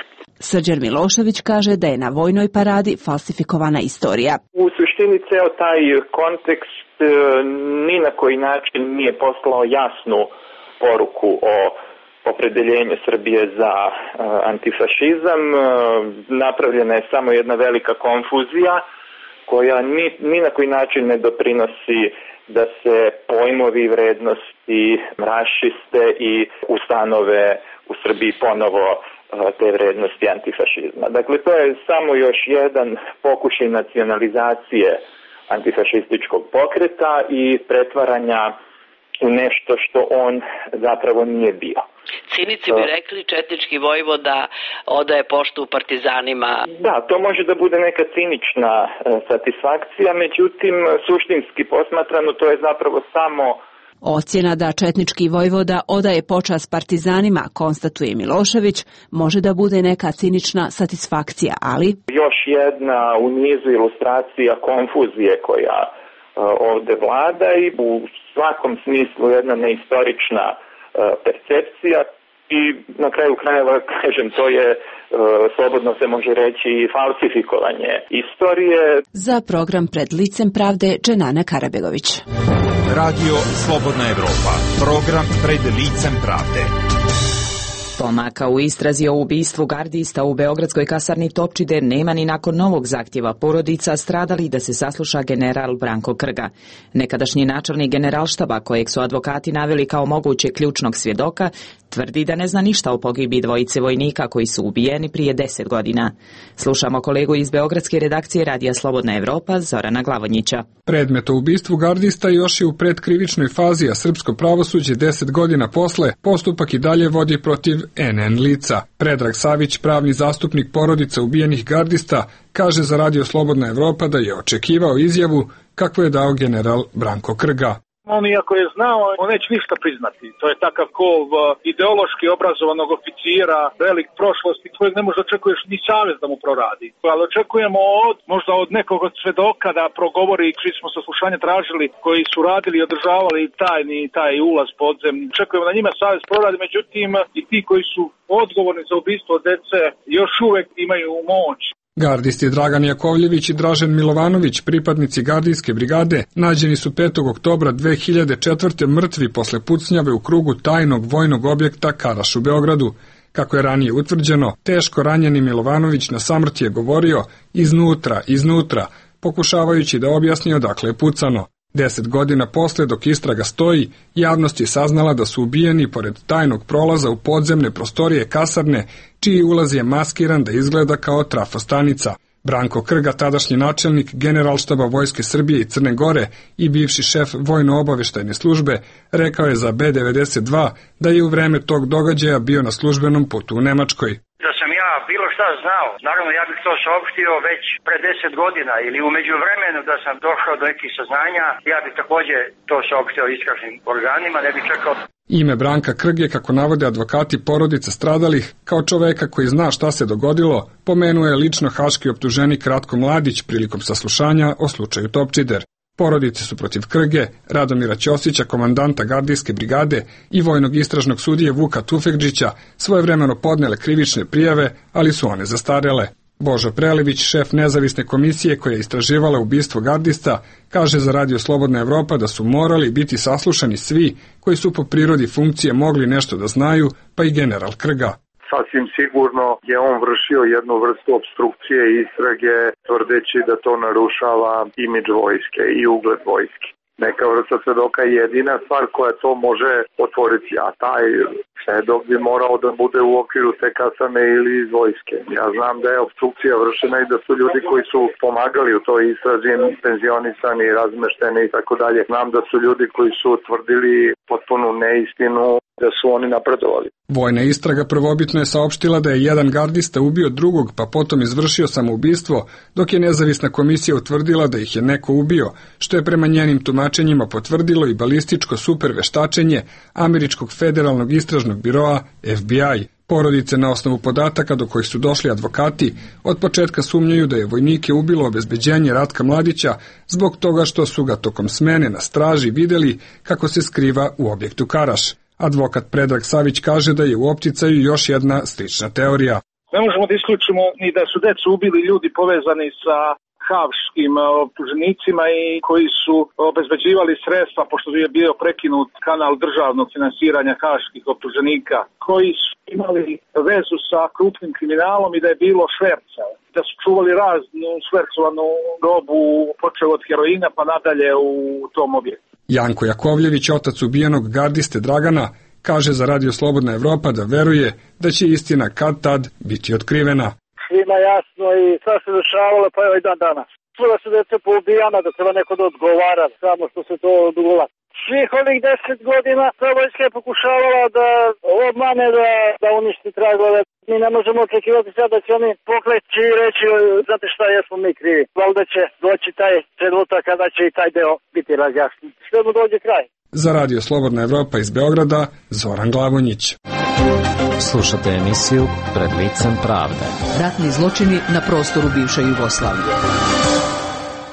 Srđan Milošević kaže da je na vojnoj paradi falsifikovana istorija. U suštini ceo taj kontekst ni na koji način nije poslao jasnu poruku o opredeljenju Srbije za uh, antifašizam. Uh, napravljena je samo jedna velika konfuzija koja ni, ni na koji način ne doprinosi da se pojmovi i vrednosti raščiste i ustanove u Srbiji ponovo uh, te vrednosti antifašizma. Dakle, to je samo još jedan pokušaj nacionalizacije antifašističkog pokreta i pretvaranja u nešto što on zapravo nije bio. Cinici bi rekli četnički vojvoda odaje poštu partizanima. Da, to može da bude neka cinična e, satisfakcija, međutim, suštinski posmatrano to je zapravo samo ocjena da četnički vojvoda odaje počast partizanima, konstatuje Milošević, može da bude neka cinična satisfakcija, ali još jedna u nizu ilustracija konfuzije koja uh, ovde vlada i u svakom smislu jedna neistorična uh, percepcija i na kraju krajeva, kažem, to je uh, slobodno se može reći falsifikovanje istorije. Za program Pred licem pravde Dženana Karabegović. Radio Slobodna Evropa, program Pred licem pravde. Pomaka u istrazi o ubistvu gardista u beogradskoj kasarni Topčide nema ni nakon novog zahtjeva porodica stradali da se sasluša general Branko Krga. Nekadašnji načelnik generalštaba, kojeg su advokati naveli kao moguće ključnog svjedoka, tvrdi da ne zna ništa o pogibi dvojice vojnika koji su ubijeni prije deset godina. Slušamo kolegu iz beogradske redakcije Radija Slobodna Evropa, Zorana Glavonjića. Predmet o ubistvu gardista još je u predkrivičnoj fazi, a srpsko pravosuđe deset godina posle postupak i dalje vodi protiv en en lica. Predrag Savić, pravni zastupnik porodica ubijenih gardista, kaže za Radio Slobodna Evropa da je očekivao izjavu kakvu je dao general Branko Krga. On iako je znao, on neće ništa priznati. To je takav kov ideološki obrazovanog oficira, velik prošlosti, kojeg ne možda očekuješ ni savez da mu proradi. Ali očekujemo od, možda od nekog od svedoka da progovori, čiji smo saslušanje tražili, koji su radili i održavali tajni taj ulaz podzemni. Očekujemo da njima savez proradi, međutim i ti koji su odgovorni za ubistvo dece još uvek imaju moć. Gardisti Dragan Jakovljević i Dražen Milovanović, pripadnici gardijske brigade, nađeni su petog oktobra dve hiljade četvrte mrtvi posle pucnjave u krugu tajnog vojnog objekta Karaš u Beogradu. Kako je ranije utvrđeno, teško ranjeni Milovanović na samrti je govorio iznutra, iznutra, pokušavajući da objasni odakle je pucano. Deset godina posle, dok istraga stoji, javnost je saznala da su ubijeni pored tajnog prolaza u podzemne prostorije kasarne, čiji ulaz je maskiran da izgleda kao trafostanica. Branko Krga, tadašnji načelnik Generalštaba Vojske Srbije i Crne Gore i bivši šef vojno-obaveštajne službe, rekao je za be devedeset dva da je u vreme tog događaja bio na službenom putu u Nemačkoj. Da sam ja bilo šta znao, naravno ja bih to saopštio već pre deset godina ili u međuvremenu da sam došao do nekih saznanja, ja bih također to saopštio istražnim organima, ne bih čekao. Ime Branka Krge, kako navode advokati porodice stradalih, kao čoveka koji zna šta se dogodilo, pomenuje lično haški optuženik Ratko Mladić prilikom saslušanja o slučaju Topčider. Porodice su protiv Krge, Radomira Ćosića, komandanta gardijske brigade i vojnog istražnog sudije Vuka Tufekđića svojevremeno podnele krivične prijave, ali su one zastarele. Božo Prelević, šef nezavisne komisije koja je istraživala ubistvo gardista, kaže za Radio Slobodna Evropa da su morali biti saslušani svi koji su po prirodi funkcije mogli nešto da znaju, pa i general Krga. Sasvim sigurno je on vršio jednu vrstu obstrukcije istrage, tvrdeći da to narušava imidž vojske i ugled vojske. Neka vrsta svedoka je jedina stvar koja to može otvoriti, a taj svedok bi morao da bude u okviru te kasarne ili iz vojske. Ja znam da je obstrukcija vršena i da su ljudi koji su pomagali u toj istrazi penzionisani, razmešteni i tako dalje. Znam da su ljudi koji su utvrdili potpunu neistinu, da su oni napredovali. Vojna istraga prvobitno je saopštila da je jedan gardista ubio drugog, pa potom izvršio samoubistvo, dok je nezavisna komisija utvrdila da ih je neko ubio, što je prema njenim tumačenjima potvrdilo i balističko superveštačenje Američkog federalnog istražnog biroa F B I. Porodice na osnovu podataka do kojih su došli advokati od početka sumnjaju da je vojnike ubilo obezbeđenje Ratka Mladića zbog toga što su ga tokom smene na straži videli kako se skriva u objektu Karaš. Advokat Predrag Savić kaže da je u opticaju još jedna slična teorija. Ne možemo da isključimo ni da su decu ubili ljudi povezani sa haškim optuženicima i koji su obezbeđivali sredstva, pošto je bio prekinut kanal državnog finansiranja haških optuženika, koji su imali vezu sa krupnim kriminalom i da je bilo šverca, da su čuvali raznu švercovanu robu, počeo od heroina pa nadalje u tom objektu. Janko Jakovljević, otac ubijenog gardiste Dragana, kaže za Radio Slobodna Evropa da veruje da će istina kad tad biti otkrivena. Svima jasno i sve se dešavalo, pa evo i dan danas. Čuva se da je poubijana, da treba neko da odgovara, samo što se to odgula. Svih ovih deset godina ta vojska je pokušavala da obmane, da, da uništi tragove. Mi ne možemo očekivati sad da će oni pokleći i reći, znate šta, jesmo mi krivi. Valjda će doći taj trenutak kada će i taj deo biti razjasnjen. Sve mu dođe kraj. Za Radio Slobodna Evropa iz Beograda, Zoran Glavonjić. Slušate emisiju Pred licem pravde. Ratni zločini na prostoru bivše Jugoslavije.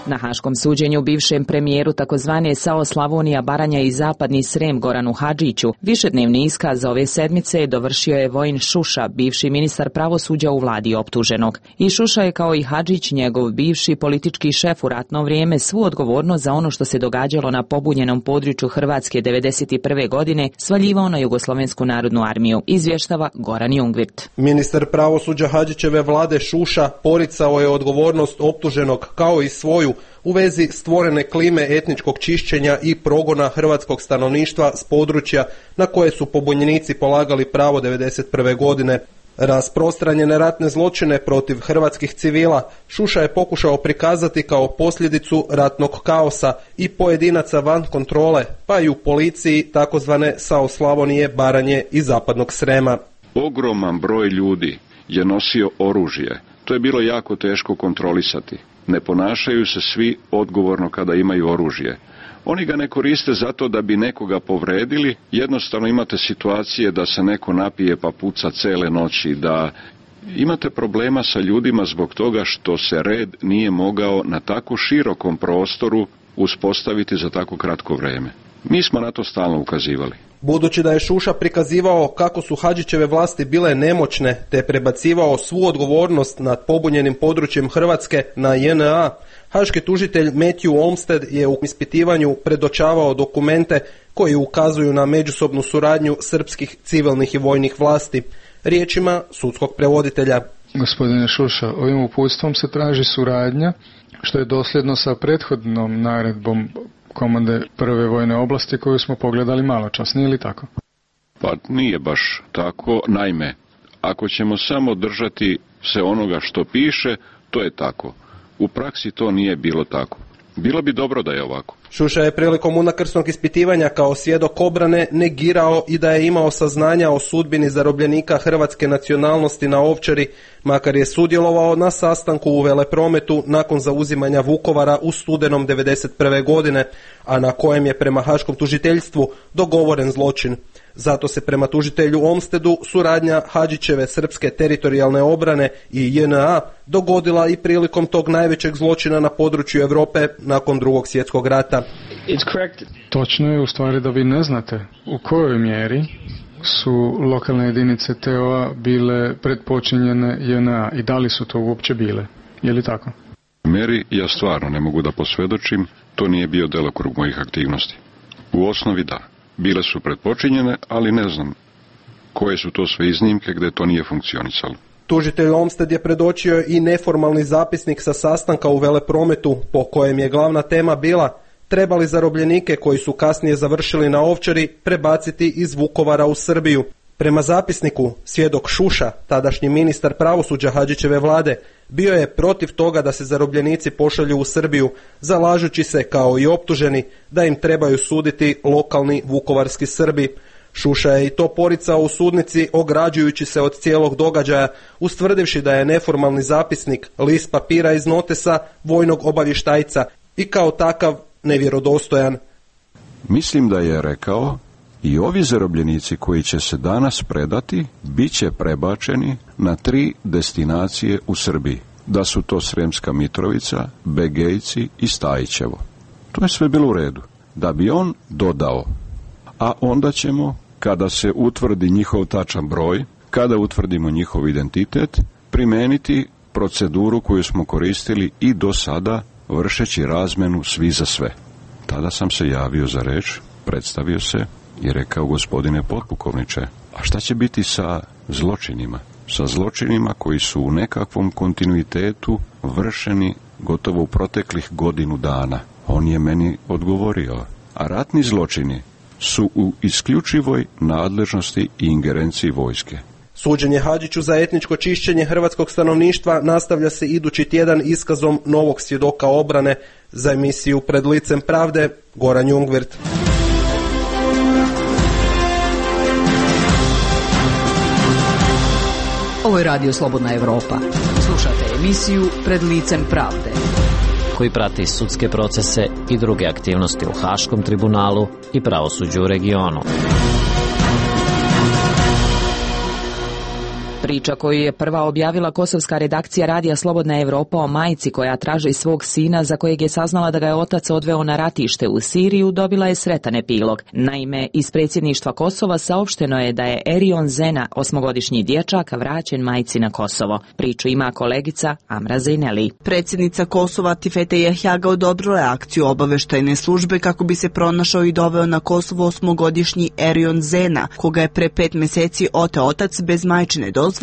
Na haškom suđenju bivšem premijeru takozvane S A O Slavonija, Baranja i Zapadni Srem Goranu Hadžiću višednevni iskaz za ove sedmice dovršio je Vojin Šuša, bivši ministar pravosuđa u vladi optuženog. I Šuša je kao i Hadžić, njegov bivši politički šef u ratno vrijeme, svu odgovornost za ono što se događalo na pobunjenom području Hrvatske devedeset prve godine svaljivao na Jugoslovensku narodnu armiju, izvještava Goran Jungvirt. Ministar pravosuđa Hadžićeve vlade Šuša poricao je odgovornost optuženog kao i svoju u vezi stvorene klime etničkog čišćenja i progona hrvatskog stanovništva s područja na koje su pobunjenici polagali pravo devedeset prve godine. Rasprostranjene ratne zločine protiv hrvatskih civila Šuša je pokušao prikazati kao posljedicu ratnog kaosa i pojedinaca van kontrole, pa i u policiji takozvane S A O Slavonije, Baranje i Zapadnog Srema. Ogroman broj ljudi je nosio oružje. To je bilo jako teško kontrolisati. Ne ponašaju se svi odgovorno kada imaju oružje. Oni ga ne koriste zato da bi nekoga povredili, jednostavno imate situacije da se neko napije pa puca cele noći, da imate problema sa ljudima zbog toga što se red nije mogao na tako širokom prostoru uspostaviti za tako kratko vrijeme. Mi smo na to stalno ukazivali. Budući da je Šuša prikazivao kako su Hadžićeve vlasti bile nemoćne te prebacivao svu odgovornost nad pobunjenim područjem Hrvatske na J N A, haški tužitelj Matthew Olmsted je u ispitivanju predočavao dokumente koji ukazuju na međusobnu suradnju srpskih civilnih i vojnih vlasti. Riječima sudskog prevoditelja. Gospodine Šuša, ovim uputstvom se traži suradnja, što je dosljedno sa prethodnom naredbom komande prve vojne oblasti koju smo pogledali malo čas, nije li tako? Pa nije baš tako. Naime, ako ćemo samo držati se onoga što piše, to je tako. U praksi to nije bilo tako. Bilo bi dobro da je ovako. Šuša je prilikom unakrsnog ispitivanja kao svjedok obrane negirao i da je imao saznanja o sudbini zarobljenika hrvatske nacionalnosti na Ovčari, makar je sudjelovao na sastanku u Veleprometu nakon zauzimanja Vukovara u studenom devedeset prve godine, a na kojem je prema haškom tužiteljstvu dogovoren zločin. Zato se prema tužitelju Olmstedu suradnja Hadžićeve srpske teritorijalne obrane i J N A dogodila i prilikom tog najvećeg zločina na području Europe nakon drugog svjetskog rata. Točno je u stvari da vi ne znate u kojoj mjeri su lokalne jedinice T O A bile predpočinjene J N A i da li su to uopće bile. Je li tako? Meri ja stvarno ne mogu da posvjedočim, to nije bio delokrug mojih aktivnosti. U osnovi da. Bile su pretpočinjene, ali ne znam koje su to sve iznimke gdje to nije funkcionisalo. Tužitelj Olmsted je predočio i neformalni zapisnik sa sastanka u Veleprometu po kojem je glavna tema bila trebali zarobljenike koji su kasnije završili na Ovčari prebaciti iz Vukovara u Srbiju. Prema zapisniku, svjedok Šuša, tadašnji ministar pravosuđa Hadžićeve vlade, bio je protiv toga da se zarobljenici pošalju u Srbiju, zalažući se kao i optuženi da im trebaju suditi lokalni vukovarski Srbi. Šuša je i to poricao u sudnici, ograđujući se od cijelog događaja, ustvrdivši da je neformalni zapisnik list papira iz notesa vojnog obavještajca i kao takav nevjerodostojan. Mislim da je rekao i ovi zarobljenici koji će se danas predati bit će prebačeni na tri destinacije u Srbiji. Da su to Sremska Mitrovica, Begejci i Stajićevo. To je sve bilo u redu. Da bi on dodao, a onda ćemo kada se utvrdi njihov tačan broj, kada utvrdimo njihov identitet, primeniti proceduru koju smo koristili i do sada, vršeći razmenu svi za sve. Tada sam se javio za reč, predstavio se i rekao: gospodine potpukovniče, a šta će biti sa zločinima? Sa zločinima koji su u nekakvom kontinuitetu vršeni gotovo u proteklih godinu dana. On je meni odgovorio: a ratni zločini su u isključivoj nadležnosti i ingerenciji vojske. Suđenje Hadžiću za etničko čišćenje hrvatskog stanovništva nastavlja se idući tjedan iskazom novog svjedoka obrane. Za emisiju Pred licem pravde, Goran Jungwirth. Ovo je Radio Slobodna Evropa. Slušate emisiju Pred licem pravde, koji prati sudske procese i druge aktivnosti u Haškom tribunalu i pravosuđu u regionu. Priča koju je prva objavila kosovska redakcija Radija Slobodna Evropa o majci koja traži svog sina za kojeg je saznala da ga je otac odveo na ratište u Siriju dobila je sretan epilog. Naime, iz predsjedništva Kosova saopšteno je da je Erion Zena, osmogodišnji dječak, vraćen majci na Kosovo. Priču ima kolegica Amra Zejneli. Predsjednica Kosova Tifete Jahjaga odobrila je akciju obaveštajne službe kako bi se pronašao i doveo na Kosovo osmogodišnji Erion Zena, koga je pre pet mjeseci oteo otac bez majčine dozvole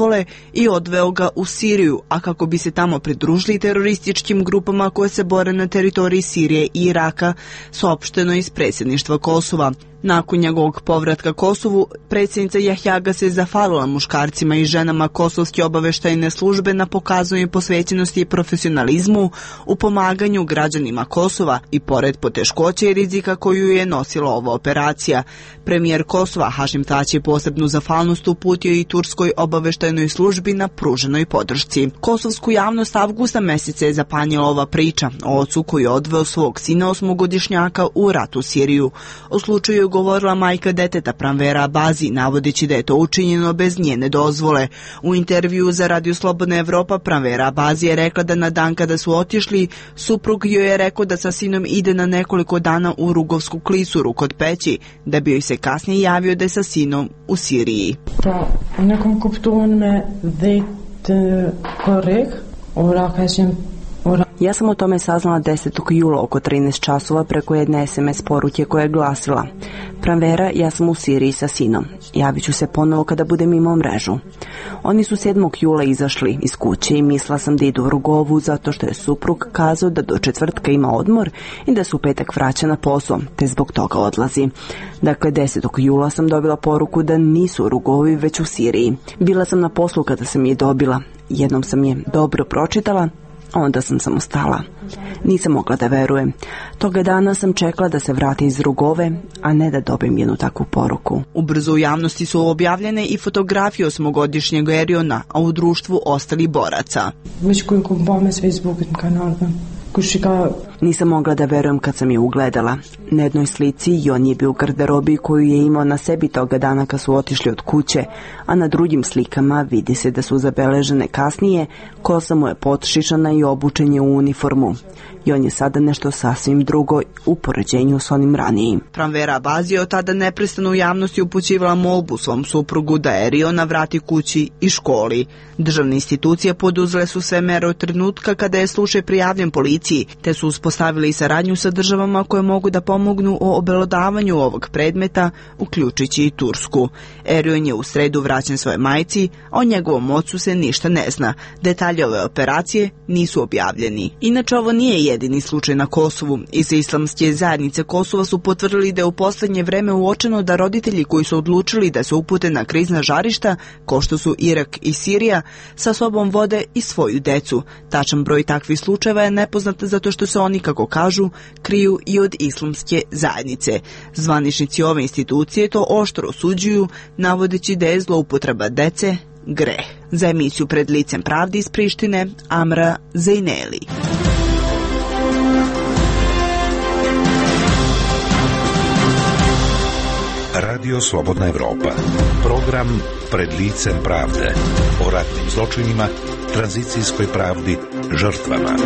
i odveo ga u Siriju, a kako bi se tamo pridružili terorističkim grupama koje se bore na teritoriji Sirije i Iraka, saopšteno iz predsjedništva Kosova. Nakon njegovog povratka Kosovu, predsjednica Jahjaga se zahvalila muškarcima i ženama kosovske obaveštajne službe na pokazanju posvećenosti i profesionalizmu u pomaganju građanima Kosova i pored poteškoća i rizika koju je nosila ova operacija. Premijer Kosova Hašim Tači je posebnu zahvalnost uputio i turskoj obaveštajnoj službi na pruženoj podršci. Kosovsku javnost avgusta mjeseca je zapanjila ova priča o ocu koji je odveo svog sina osmogodišnjaka u rat u Siriju. O slučaju govorila majka deteta Pranvera Abazi, navodeći da je to učinjeno bez njene dozvole. U intervju za Radio Slobodna Evropa Pranvera Abazi je rekla da na dan kada su otišli, suprug joj je rekao da sa sinom ide na nekoliko dana u Rugovsku klisuru kod Peći, da bi joj se kasnije javio da je sa sinom u Siriji. Pa, nekom kuptuan me dhejt korek, ora kažem. Ja sam o tome saznala desetog jula oko trinaest časova preko jedne es em es poruke koja je glasila: Pranvera, ja sam u Siriji sa sinom. Javit ću se ponovo kada budem imao mrežu. Oni su sedmog jula izašli iz kuće i mislila sam da idu u Rugovu zato što je suprug kazao da do četvrtka ima odmor i da se u petak vraća na posao, te zbog toga odlazi. Dakle, desetog jula sam dobila poruku da nisu u Rugovi već u Siriji. Bila sam na poslu kada sam je dobila. Jednom sam je dobro pročitala, onda sam samo stala. Nisam mogla da verujem. Toga dana sam čekala da se vrati iz Rugove, a ne da dobijem jednu takvu poruku. Ubrzo u javnosti su objavljene i fotografije osmogodišnjeg Eriona, a u društvu ostali boraca. Već koju kompame s Facebookom kanalom. Nisam mogla da verujem kad sam je ugledala. Na jednoj slici i on je bio u garderobi koju je imao na sebi toga dana kad su otišli od kuće, a na drugim slikama vidi se da su zabeležene kasnije, kosa mu je potšišana i obučen je u uniformu. I on je sada nešto sasvim drugo u poređenju s onim ranijim. Pranvera Abazi je od tada neprestano u javnosti upućivala molbu svom suprugu da Eriona vrati kući i školi. Državne institucije poduzele su sve mere od trenutka kada je slučaj prijavljen policiji, te su uspostavili i saradnju sa državama koje mogu da pomognu o obelodavanju ovog predmeta, uključujući i Tursku. Erion je u sredu vraćen svoje majci, a o njegovom ocu se ništa ne zna. Detalje ove operacije nisu objavljeni. Inače, ovo nije jedini slučaj na Kosovu. Iz islamske zajednice Kosova su potvrdili da je u posljednje vreme uočeno da roditelji koji su odlučili da se upute na krizna žarišta, kao što su Irak i Sirija, sa sobom vode i svoju decu. Tačan broj takvih slučajeva je nepoznat zato što se oni, kako kažu, kriju i od islamske zajednice. Zvaničnici ove institucije to oštro osuđuju, navodeći da je zloupotreba dece greh. Za emisiju Pred licem pravde iz Prištine, Amra Zejneli. Radio Slobodna Evropa. Program Pred licem pravde. O ratnim zločinima, tranzicijskoj pravdi, žrtvama.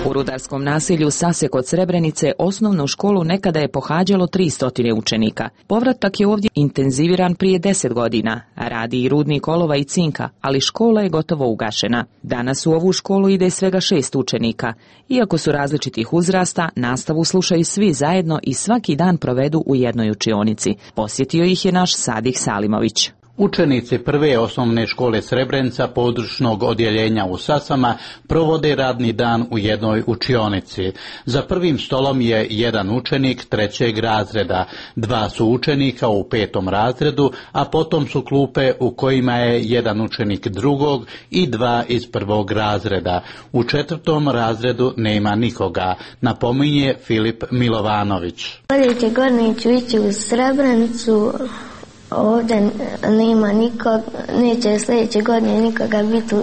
U rudarskom naselju Sase kod Srebrenice osnovnu školu nekada je pohađalo tristo učenika. Povratak je ovdje intenziviran prije deset godina. Radi i rudnik olova i cinka, ali škola je gotovo ugašena. Danas u ovu školu ide svega šest učenika. Iako su različitih uzrasta, nastavu slušaju svi zajedno i svaki dan provedu u jednoj učionici. Posjetio ih je naš Sadih Salimović. Učenici prve osnovne škole Srebrenica područnog odjeljenja u Sasama provode radni dan u jednoj učionici. Za prvim stolom je jedan učenik trećeg razreda, dva su učenika u petom razredu, a potom su klupe u kojima je jedan učenik drugog i dva iz prvog razreda. U četvrtom razredu nema nikoga, napominje Filip Milovanović. Sljedeće godine ću ići u Srebrenicu. Ovdje nema nikog, neće sljedeće godine nikoga biti u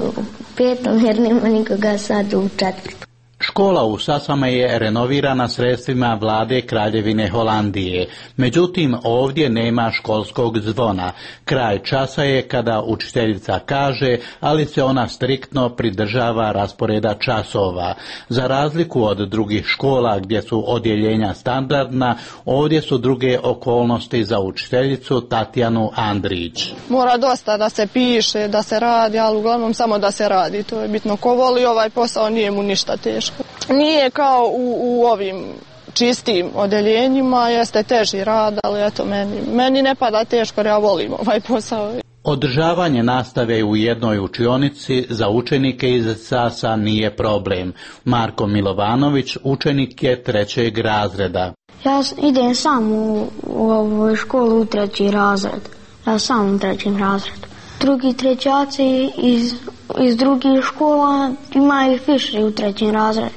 petom jer nema nikoga sad u četvrtom. Škola u Sasama je renovirana sredstvima vlade Kraljevine Holandije. Međutim, ovdje nema školskog zvona. Kraj časa je kada učiteljica kaže, ali se ona striktno pridržava rasporeda časova. Za razliku od drugih škola gdje su odjeljenja standardna, ovdje su druge okolnosti za učiteljicu Tatjanu Andrić. Mora dosta da se piše, da se radi, ali uglavnom samo da se radi. To je bitno. Ko voli ovaj posao, nije mu ništa teško. Nije kao u, u ovim čistim odeljenjima, jeste teži rad, ali eto meni, meni ne pada teško jer ja volim ovaj posao. Održavanje nastave u jednoj učionici za učenike iz Sasa nije problem. Marko Milovanović učenik je trećeg razreda. Ja idem sam u, u ovu školu u treći razred. Ja sam u trećem razredu. Drugi trećaci iz, iz drugih škola imaju više u trećem razredu.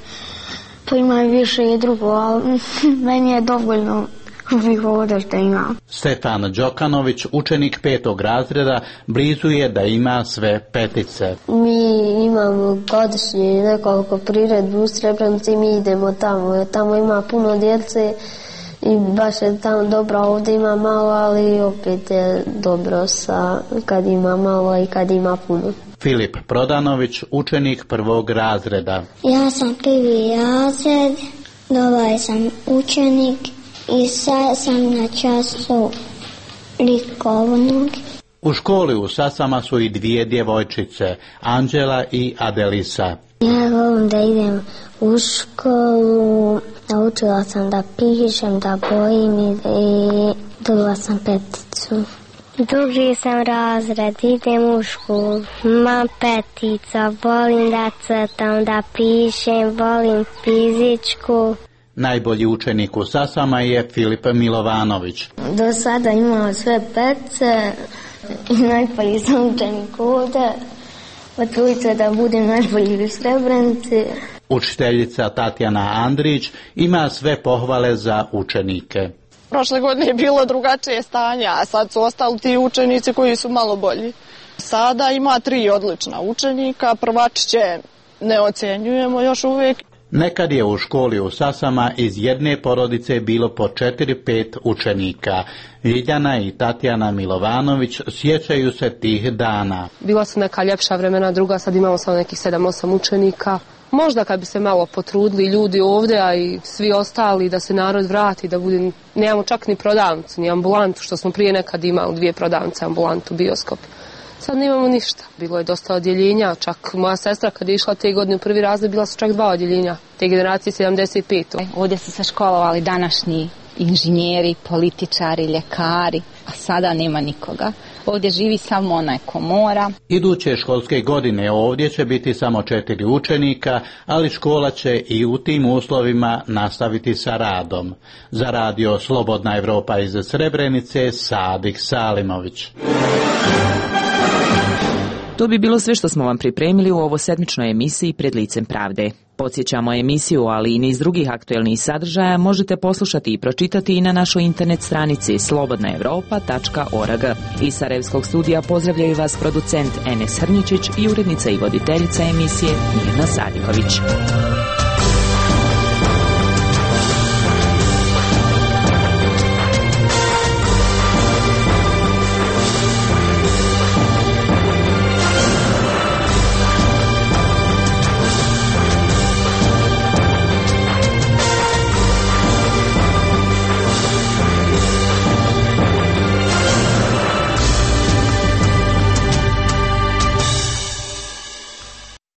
To imaju više i drugo, ali meni je dovoljno bih ovdje što imam. Stefan Đokanović, učenik petog razreda, blizu je da ima sve petice. Mi imamo godišnje nekoliko priredbi u Srebrenici i mi idemo tamo. Tamo ima puno djece i baš je tamo dobro, ovdje ima malo, ali opet je dobro sa kad ima malo i kad ima puno. Filip Prodanović, učenik prvog razreda. Ja sam prvi razred, ovaj sam učenik i sad sam na času likovnog. U školi u Sasama su i dvije djevojčice, Anđela i Adelisa. Ja volim da idem u školu, naučila sam da pišem, da bojim i, i dobila sam peticu. Drugi sam razred, idem u školu, imam petica, volim da crtam, da pišem, volim fizičku. Najbolji učenik u Sasama je Filip Milovanović. Do sada imam sve petice i najbolji sam učenik ovdje. Potrudit se da budem najbolji u Srebrenici. Učiteljica Tatjana Andrić ima sve pohvale za učenike. Prošle godine je bilo drugačije stanje, a sad su ostali ti učenici koji su malo bolji. Sada ima tri odlična učenika, prvačiće ne ocjenjujemo još uvijek. Nekad je u školi u Sasama iz jedne porodice bilo po četiri pet učenika. Ljiljana i Tatjana Milovanović sjećaju se tih dana. Bila su neka ljepša vremena, druga sad imamo samo nekih sedam osam učenika. Možda kad bi se malo potrudili ljudi ovdje, a i svi ostali, da se narod vrati, da budem, nemamo čak ni prodavnicu, ni ambulantu, što smo prije nekad imali dvije prodavnice, ambulantu, bioskop. Sad nemamo ništa. Bilo je dosta odjeljenja, čak moja sestra kad je išla te godine u prvi razred, bila su čak dva odjeljenja, te generacije sedamdeset pet. Ovdje su se školovali današnji inženjeri, političari, ljekari, a sada nema nikoga. Ovdje živi samo onaj ko mora. Iduće školske godine ovdje će biti samo četiri učenika, ali škola će i u tim uslovima nastaviti sa radom. Za radio Slobodna Evropa iz Srebrenice, Sadik Salimović. To bi bilo sve što smo vam pripremili u ovosedmičnoj emisiji Pred licem pravde. Podsjećamo emisiju, ali i niz drugih aktuelnih sadržaja možete poslušati i pročitati i na našoj internet stranici slobodna evropa tačka org. Iz Sarajevskog studija pozdravljaju vas producent Enes Hrničić i urednica i voditeljica emisije Mirna Sadihović.